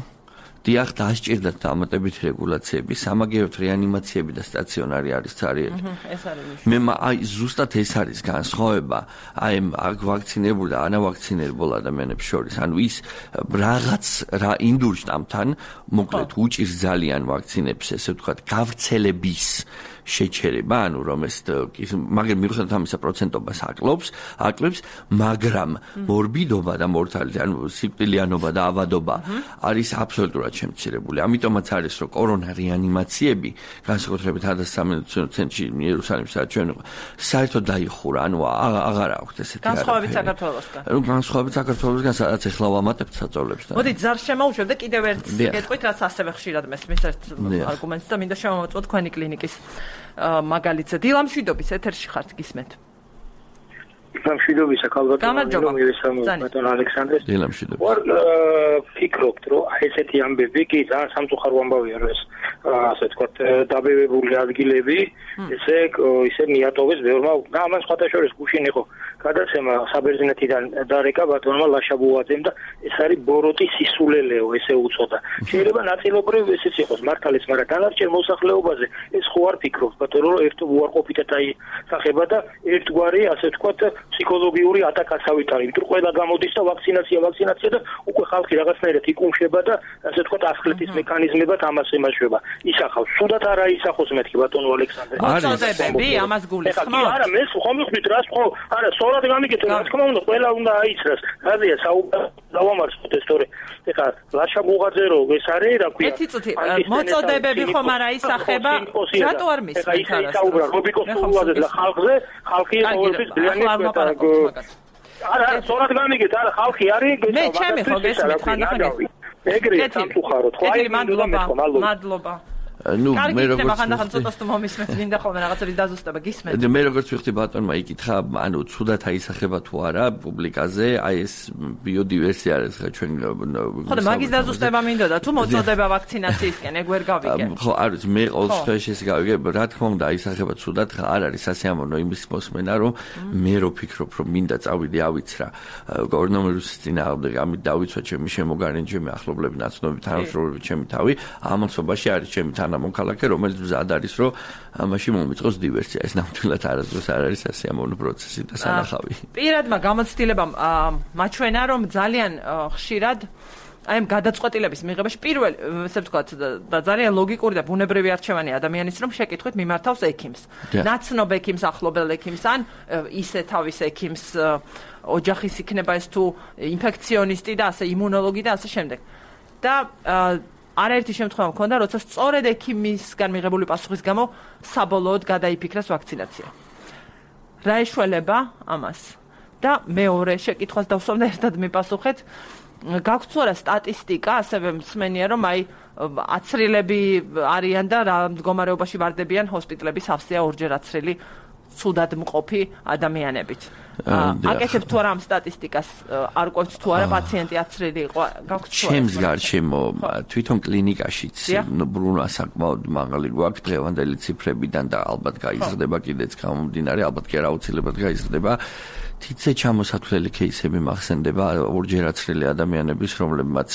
დიახ დასჭირდათ დამატებით რეგულაციები, სამაგიეროდ რეანიმაციები და სტაციონარი არის ცარიელი. ეს არის. მე აი ზუსტად ეს არის განსხვავება აი აქ ვაქცინებულ და ანავაქცინებულ ადამიანებს შორის. ანუ ის რაღაც რა ინდურ შტამთან მოკლედ უჭირს ძალიან ვაქცინებს, ესე ვთქვათ, გავრცელების შეჩერება, ანუ რომ ეს მაგრამ მიუხედავად ამისა პროცენტობას აკლებს, მაგრამ მორბიდობა და მორთალიტეტი, ანუ სიკვდილიანობა და ავადობა არის აბსოლუტურად შემცირებული. ამიტომაც არის რომ კორონა რეანიმაციები განსაკუთრებით 1300 ცენტრში იერუსალიმში ჩვენ საერთოდ დაიხურა, ანუ აღარ აქვს ესეთი განსხვავებით საქართველოსგან. განსხვავებით საქართველოსგან, სადაც ეხლა ვამატებთ საწოლებს და. მოდით ზარ შემოუშვებ და კიდევ ერთ გეტყვით, რაც ასევე ხშირად მესმის ერთ არგუმენტს და მინდა შევამოწმოთ თქვენი კლინიკის მაგალითზე. დილამშვიდობის ეთერში ხართ, გისმენთ. დილამშვიდობისა ქალბატონო ბატონ ალექსანდრე. დილამშვიდობა. ვარ ფიქრობთ, რომ ესეთი ამბები კი ძალიან სამწუხარო ამბავია, რომ ეს ასე ვთქვათ, დაბევებული ადგილები ისე მიატოვეს ბევრმა და ამან სხვათა შორის გუშინ იყო გადაცემა საბერძნეთიდან დარეკა ბატონმა ლაშაბუაძემ და ეს არის ბოროტის სისულელეო, ესე უწოდა. შეიძლება ნაწილობრივ ესეც იყოს მართალიც, მაგრამ დანარჩენ მოსახლეობაზე ეს ხო არ ფიქრობთ, ბატონო, რომ ერთ უარყოფითად აისახება და ერთგვარი, ასე ვთქვათ, ფსიქოლოგიური ატაკაც ავიტარი, იმიტომ ყველა გამოდის და ვაქცინაცია და უკვე ხალხი რაღაცნაირად იკუმშება და ასე ვთქვათ ასხლეთის მექანიზმებად ამას ემაშვება. ისახავს, სულად არ აისახოს მეთქი ბატონო ალექსანდრე. მოწოდებები ამას გულისხმობთ? არა, მე ხომ მივხვდით რას ხო? არა, სწორად გამიგეთ, რა თქმა უნდა, ყველა უნდა აიცრას. რაზეა საუბარი ეს თორე. ეხლა ლაშაბუღაძე რო ეს არის, რა ქვია? ერთი წუთი, მოწოდებები ხომ არ აისახება? რატო არ მისმენთ არას? ეხლა ის საუბრა რობიკოს სულუაზე და ხალხზე, ხალხი ყოველთვის ძალიან არა, სწორად გამიგეთ, არა, ხალხი არის, მე ჩემი ხო გესმით ხანდახან. ეგრეა სამწუხაროდ, ხო აი მადლობა. ნუ მე როგორც ხანდახან ცოტას თუ მომისმენთ, მინდა ხოლმე რაღაცების დაზუსტება გისმენთ. მე როგორც ვიხდი ბატონმა იკითხა, ანუ ცუდად აისახება თუ არა პუბლიკაზე, აი ეს ბიოდივერსია არის ხა ჩვენ ხო და მაგის დაზუსტება მინდოდა, თუ მოწოდება ვაქცინაციისკენ, ეგ ვერ გავიგე. ხო, არ ვიცი, მე ყოველთვის ეს გავიგე, რა თქმა უნდა აისახება ცუდად, ხა არ არის სასიამოვნო იმის მოსმენა, რომ მე რო ფიქრობ, რომ მინდა წავიდე ავიცრა კორონავირუსის წინააღმდეგ, ამით დავიცვა ჩემი შემოგარენი, ჩემი ახლობლები, ნაცნობი, თანამშრომლები, ჩემი თავი, ამასობაში არის ჩემი მომქალაქე, რომელიც მზად არის, რომ ამაში მომიწყოს დივერსია. ეს ნამდვილად არასდროს არ არის სასიამოვნო პროცესი და სანახავი. პირადმა გამოცდილებამ მაჩვენა, რომ ძალიან ხშირად აი ამ გადაწყვეტილების მიღებაში პირველ, ესე ვთქვათ, და ძალიან ლოგიკური და ბუნებრივი არჩევანი ადამიანის, რომ შეკითხვით მიმართავს ექიმს. ნაცნობ ექიმს, ახლობელ ექიმს, ან ისე თავის ექიმს, ოჯახის იქნება ეს თუ ინფექციონისტი და ასე იმუნოლოგი და ასე შემდეგ. და არაერთი შემთხვევა მქონდა, როცა სწორედ ექიმისგან მიღებული პასუხის გამო საბოლოოდ გადაიფიქრეს ვაქცინაცია. რა ეშველება ამას? და მეორე შეკითხვას დავსვამ და ერთად მიპასუხეთ. გაქვთ თუ არა სტატისტიკა, ასევე მსმენია, რომ აი აცრილები არიან და რა მდგომარეობაში ვარდებიან ჰოსპიტალების სავსეა ორჯერ აცრილი ცუდად მყოფი ადამიანებით. აკეთებთ თუ არა ამ სტატისტიკას, არ ყვევთ თუ არა პაციენტი აცრილი იყო, გაქვთ თუ არა? ჩემს გარშემო თვითონ კლინიკაშიც ბრუნვა საკმაოდ მაღალი გვაქვს დღევანდელი ციფრებიდან და ალბათ გაიზრდება კიდეც გამომდინარე, ალბათ კი არა აუცილებლად გაიზრდება. თითზე ჩამოსათვლელი кейსები მახსენდება ორჯერ აცრილი ადამიანების, რომლებმაც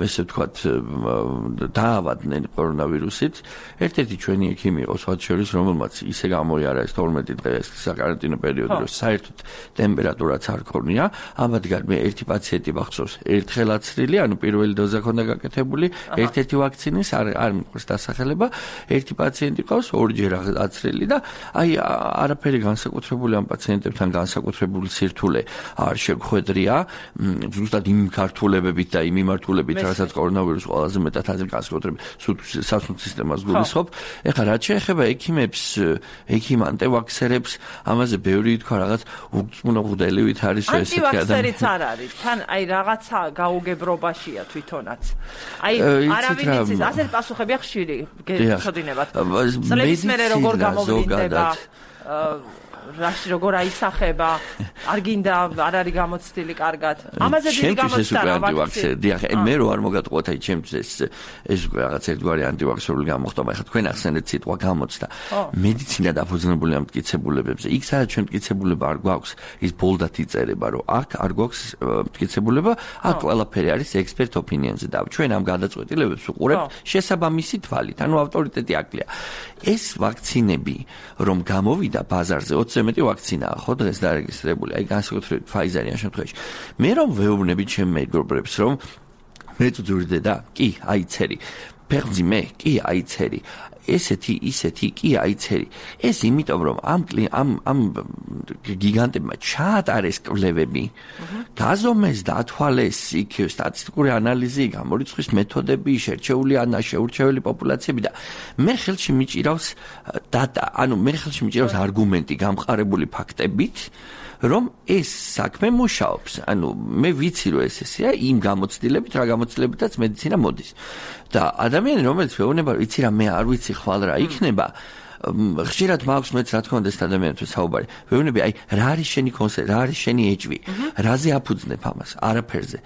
ესე ვთქვათ დაავადდნენ კორონავირუსით. ერთ-ერთი ჩვენი ექიმი იყო სხვათა შორის, რომელმაც ისე გამოიარა ეს 12 დღე საკარანტინო პერიოდი, რომ საერთოდ ტემპერატურაც არ ქონია. ამათგან მე ერთი პაციენტი მახსოვს, ერთხელ აცრილი, ანუ პირველი დოზა ქონდა გაკეთებული, ერთ-ერთი ვაქცინის არ მიყვარს დასახელება, ერთი პაციენტი ყავს ორჯერ აცრილი და აი არაფერი განსაკუთრებული ამ პაციენტებთან განსაკუთრებული სირთულე არ შეგვხვედრია, ზუსტად იმ ქართულებებით და იმ მიმართულებით, რასაც კორონავირუსი ყველაზე მეტად არის განსაკუთრებით სასუნთქ სისტემას გულისხმობ. ეხლა რაც შეეხება ექიმებს, ექიმ ანტივაქსერებს, ამაზე ბევრი ითქვა რაღაც უგწმუნოღდელივით არის ესეთი ადამიანი. ანტივაქსერიც არ არის, თან აი რაღაცა გაუგებრობაშია თვითონაც. აი არავინ იცის, ასეთ პასუხებია ხშირი გეცოდინებათ. წლების მერე როგორ გამოვლინდება რაში როგორ აისახება, არ გინდა არ არის გამოცდილი კარგად. ამაზე დიდი გამოცდა რა ვაქცინაცია. დიახ, მე რო არ მოგატყუათ აი ჩემთვის ეს უკვე რაღაც ერთგვარი ანტივაქსერული გამოხდა, მაგრამ თქვენ ახსენეთ სიტყვა გამოცდა. მედიცინა დაფუძნებული ამ მტკიცებულებებზე. იქ სადაც ჩვენ მტკიცებულება არ გვაქვს, ის ბოლდად იწერება, რომ აქ არ გვაქვს მტკიცებულება, აქ ყველაფერი არის expert opinion-ზე და ჩვენ ამ გადაწყვეტილებებს უყურებთ შესაბამისი თვალით, ანუ ავტორიტეტი აკლია. ეს ვაქცინები რომ გამოვიდა ბაზარზე 20 მეტი ვაქცინაა ხო დღეს დარეგისტრირებული, აი განსაკუთრებით Pfizer-ი ამ შემთხვევაში. მე რომ ვეუბნები ჩემ მეგობრებს, რომ მე წუძურდე და კი, აიცერი. ფეხბურთი მე კი აიცერი. ისეთი კი აიცერი. ეს იმიტომ რომ ამ გიგანტებმა ჩაატარეს კვლევები, გაზომეს და ათვალეს იქ სტატისტიკური ანალიზი, გამორიცხვის მეთოდები, შეურჩეველი პოპულაციები და მე ხელში მიჭირავს დატა, მე ხელში მიჭირავს არგუმენტი გამყარებული ფაქტებით, რომ ეს საქმე მუშაობს. მე ვიცი რომ ესეა იმ გამოცდილებით, რა გამოცდილებითაც მედიცინა მოდის. და ადამიანი რომელიც მეუბნება, ვიცი რა, მე არ ვიცი ხვალ რა იქნება, ხშირად მაქვს მეც რა თქმა უნდა ეს ადამიანთან საუბარი. ვეუბნები, რა არის შენი კონსერვი, რა არის შენი ეჭვი, რაზე აფუძნებ ამას, არაფერზე.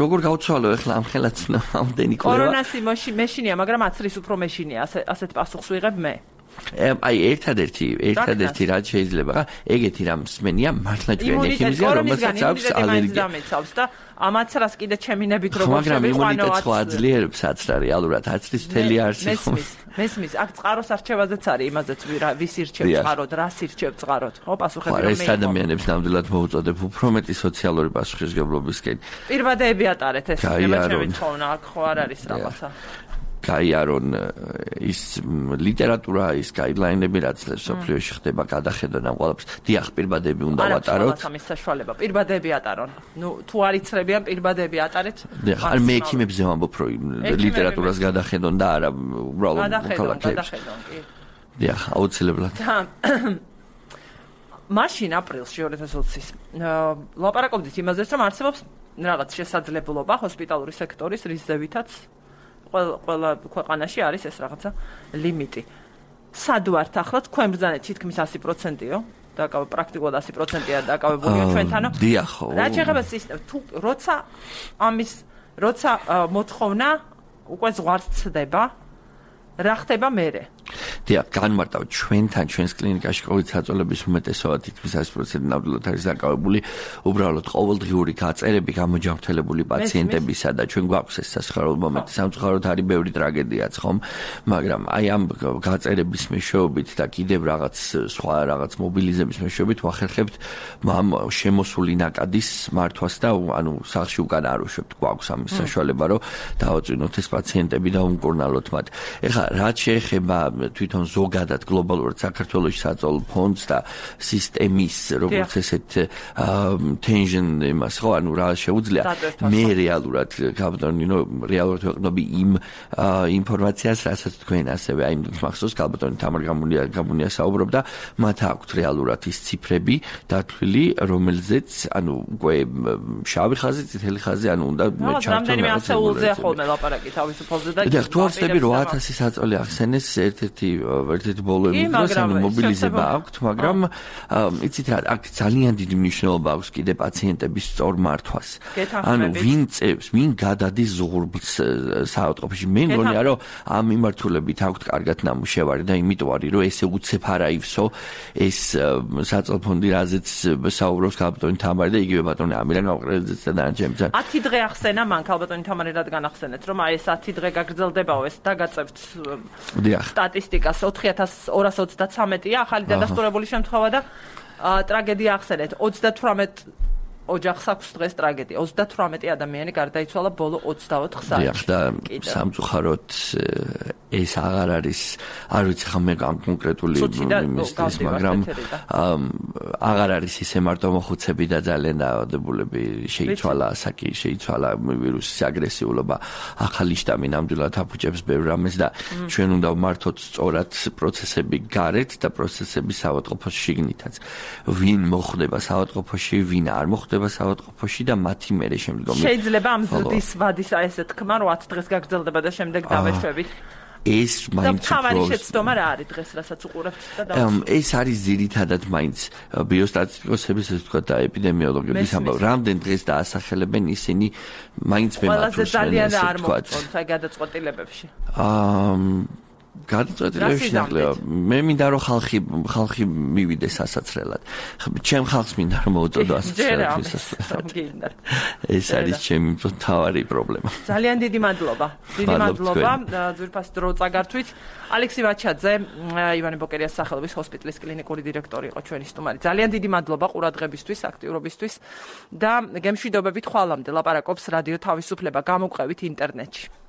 როგორ გავცვალო ახლა ამ ხელაც ამდენი კვლევა. კორონასი მეშინია, მაგრამ აცრის უფრო მეშინია, ასეთ პასუხს ვიღებ მე. ერთადერთი რაც შეიძლება ეგეთი რამ მსმენია მართლა ჩვენი ექიმზია რომელსაც აქვს ალერგია და ამაც რას კიდე ჩემინებით როგორ მაგრამ იმუნიტეტს ხო აძლიერებს აცრა რეალურად აცრის მთელი არსი მესმის აქ წყაროს არჩევაზეც არის იმაზეც ვის ირჩევს წყაროდ რას ირჩევს წყაროდ ხო პასუხები რომ ეს ადამიანებს ნამდვილად მოუწოდებ უფრო მეტი სოციალური პასუხისმგებლობისკენ პირბადეები ატარეთ ეს ჩემი თხოვნა აქ ხო არ არის რაღაცა გაიარონ ის ლიტერატურა, ის გაიდლაინები, რაც სოფლიოში ხდება, გადახედონ ამ ყველაფერს. დიახ, პირბადები უნდა ვატაროთ. არა, ამის საშუალება. პირბადები ატარონ. თუ არ იცრებიან, პირბადები ატარეთ. დიახ, არ მე ექიმებზე ვამბობ, რომ ლიტერატურას გადახედონ და არა უბრალოდ გადახედონ, კი. დიახ, აუცილებლად. მაშინ აპრილში 2020-ის ლაპარაკობდით იმაზეც, რომ არსებობს რაღაც შესაძლებლობა ჰოსპიტალური სექტორის რის ზევითაც ყველა ქვეყანაში არის ეს რაღაცა ლიმიტი. სად ვართ ახლა თქვენ ბრძანეთ თითქმის 100%-ო, პრაქტიკულად 100%-ია დაკავებულია ჩვენთანო. დიახ. რა შეიძლება სისტემა თუ როცა მოთხოვნა უკვე ზღვარს ცდება, რა ხდება მერე? დიახ, განმარტავ ჩვენთან ჩვენს კლინიკაში COVID საწოლების უმეტესობა თითქმის 100% ნამდვილად არის დაკავებული უბრალოდ ყოველდღიური გაწერები გამოჯანმრთელებული პაციენტებისა და ჩვენ გვაქვს ეს სასიხარულო მომენტი. სამწუხაროდ არის ბევრი ტრაგედიაც ხომ, მაგრამ ამ გაწერების მეშვეობით და კიდევ სხვა რაღაც მობილიზების მეშვეობით ვახერხებთ ამ შემოსული ნაკადის მართვას და სახლში უკან არ უშვებთ. გვაქვს ამის საშუალება, რომ დავაწვინოთ ეს პაციენტები და უმკურნალოთ მათ. ეხლა რაც შეეხება თვითონ ზოგადად გლობალურად საქართველოში საწოლო ფონდს და სისტემის როგორც ესეთ tension იმას ხო რა შეუძლია მე რეალურად კაბატონინო რეალურად ვეყნობი იმ ინფორმაციას რასაც თქვენ ასევე აი მახსოვს კაბატონი თამარ გამუნია საუბრობდა მათ აქვთ რეალურად ის ციფრები დათვლილი რომელზეც უკვე შავი ხაზი წითელი ხაზი უნდა მე ჩართო მე ასეულზე ხოლმე ლაპარაკი თავისუფალზე და თუ არ ვწდები 8000 საწოლი ახსენეს ერთ-ერთი ბოლოები დროს მობილიზება აქვს, მაგრამ იცით რა, აქ ძალიან დიდი მნიშვნელობა აქვს კიდე პაციენტების სწორ მართვას. ვინ წევს, ვინ გადადის ზღურბლს საავადმყოფოში. მე მგონია, რომ ამ მიმართულებით აქვს კარგად ნამუშევარი და იმიტომ არის, რომ ესე უცებ არ აივსო ეს საწოლო ფონდი, რაზეც საუბრობს კაბატონი თამარი და იგივე ბატონი ამირან გაყრელიძეც და დანარჩენიც. 10 დღე ახსენა მან კაბატონი თამარი რადგან ახსენეთ, რომ აი ეს 10 დღე გაგრძელდებაო ეს დაგაწევთ სტატისტიკას 4233-ია ახალი დადასტურებული შემთხვევა და ტრაგედია ახსენეთ 38 ოჯახს აქვს დღეს ტრაგედია 38 ადამიანი გარდაიცვალა ბოლო 24 საათში. დიახ და სამწუხაროდ ეს აღარ არის არ ვიცი ხომ მე კონკრეტული იმისთვის მაგრამ აღარ არის ისე მარტო მოხუცები და ძალიან დაავადებულები შეიცვალა ასაკი შეიცვალა ვირუსის აგრესიულობა ახალი შტამი ნამდვილად აფუჭებს ბევრ რამეს და ჩვენ უნდა ვმართოთ სწორად პროცესები გარეთ და პროცესები საავადმყოფოში შიგნითაც ვინ მოხდება საავადმყოფოში ვინ არ მოხდება საავადმყოფოში და მათი მერე შემდგომი შეიძლება ამ ზრდის ვადის ესე თქმა 8 დღეს გაგრძელდება და შემდეგ დავეშვებით ეს მაინც თავარი შეცდომა რა არის დღეს რასაც უყურებთ და ეს არის ძირითადად მაინც ბიოსტატისტიკოსების ესე ვთქვა და ეპიდემიოლოგების ამბავი რამდენ დღეს დაასახელებენ ისინი მაინც მე მათთვის ძალიან არ მოწონთ აი გადაწყვეტილებებში გადაწყვეტილებებში ნაკლებია მე მინდა რომ ხალხი მივიდეს ასაცრელად ჩემ ხალხს მინდა რომ მოუწოდო ასაცრელად ეს არის ჩემი მთავარი პრობლემა ძალიან დიდი მადლობა ძვირფას დრო წაგართვით ალექსი ვაჩაძე ივანე ბოკერიას სახელობის ჰოსპიტალის კლინიკური დირექტორი იყო ჩვენი სტუმარი ძალიან დიდი მადლობა ყურადღებისთვის აქტიურობისთვის და გემშვიდობებით ხვალამდე ლაპარაკობს რადიო თავისუფლება გამოგვყევით ინტერნეტში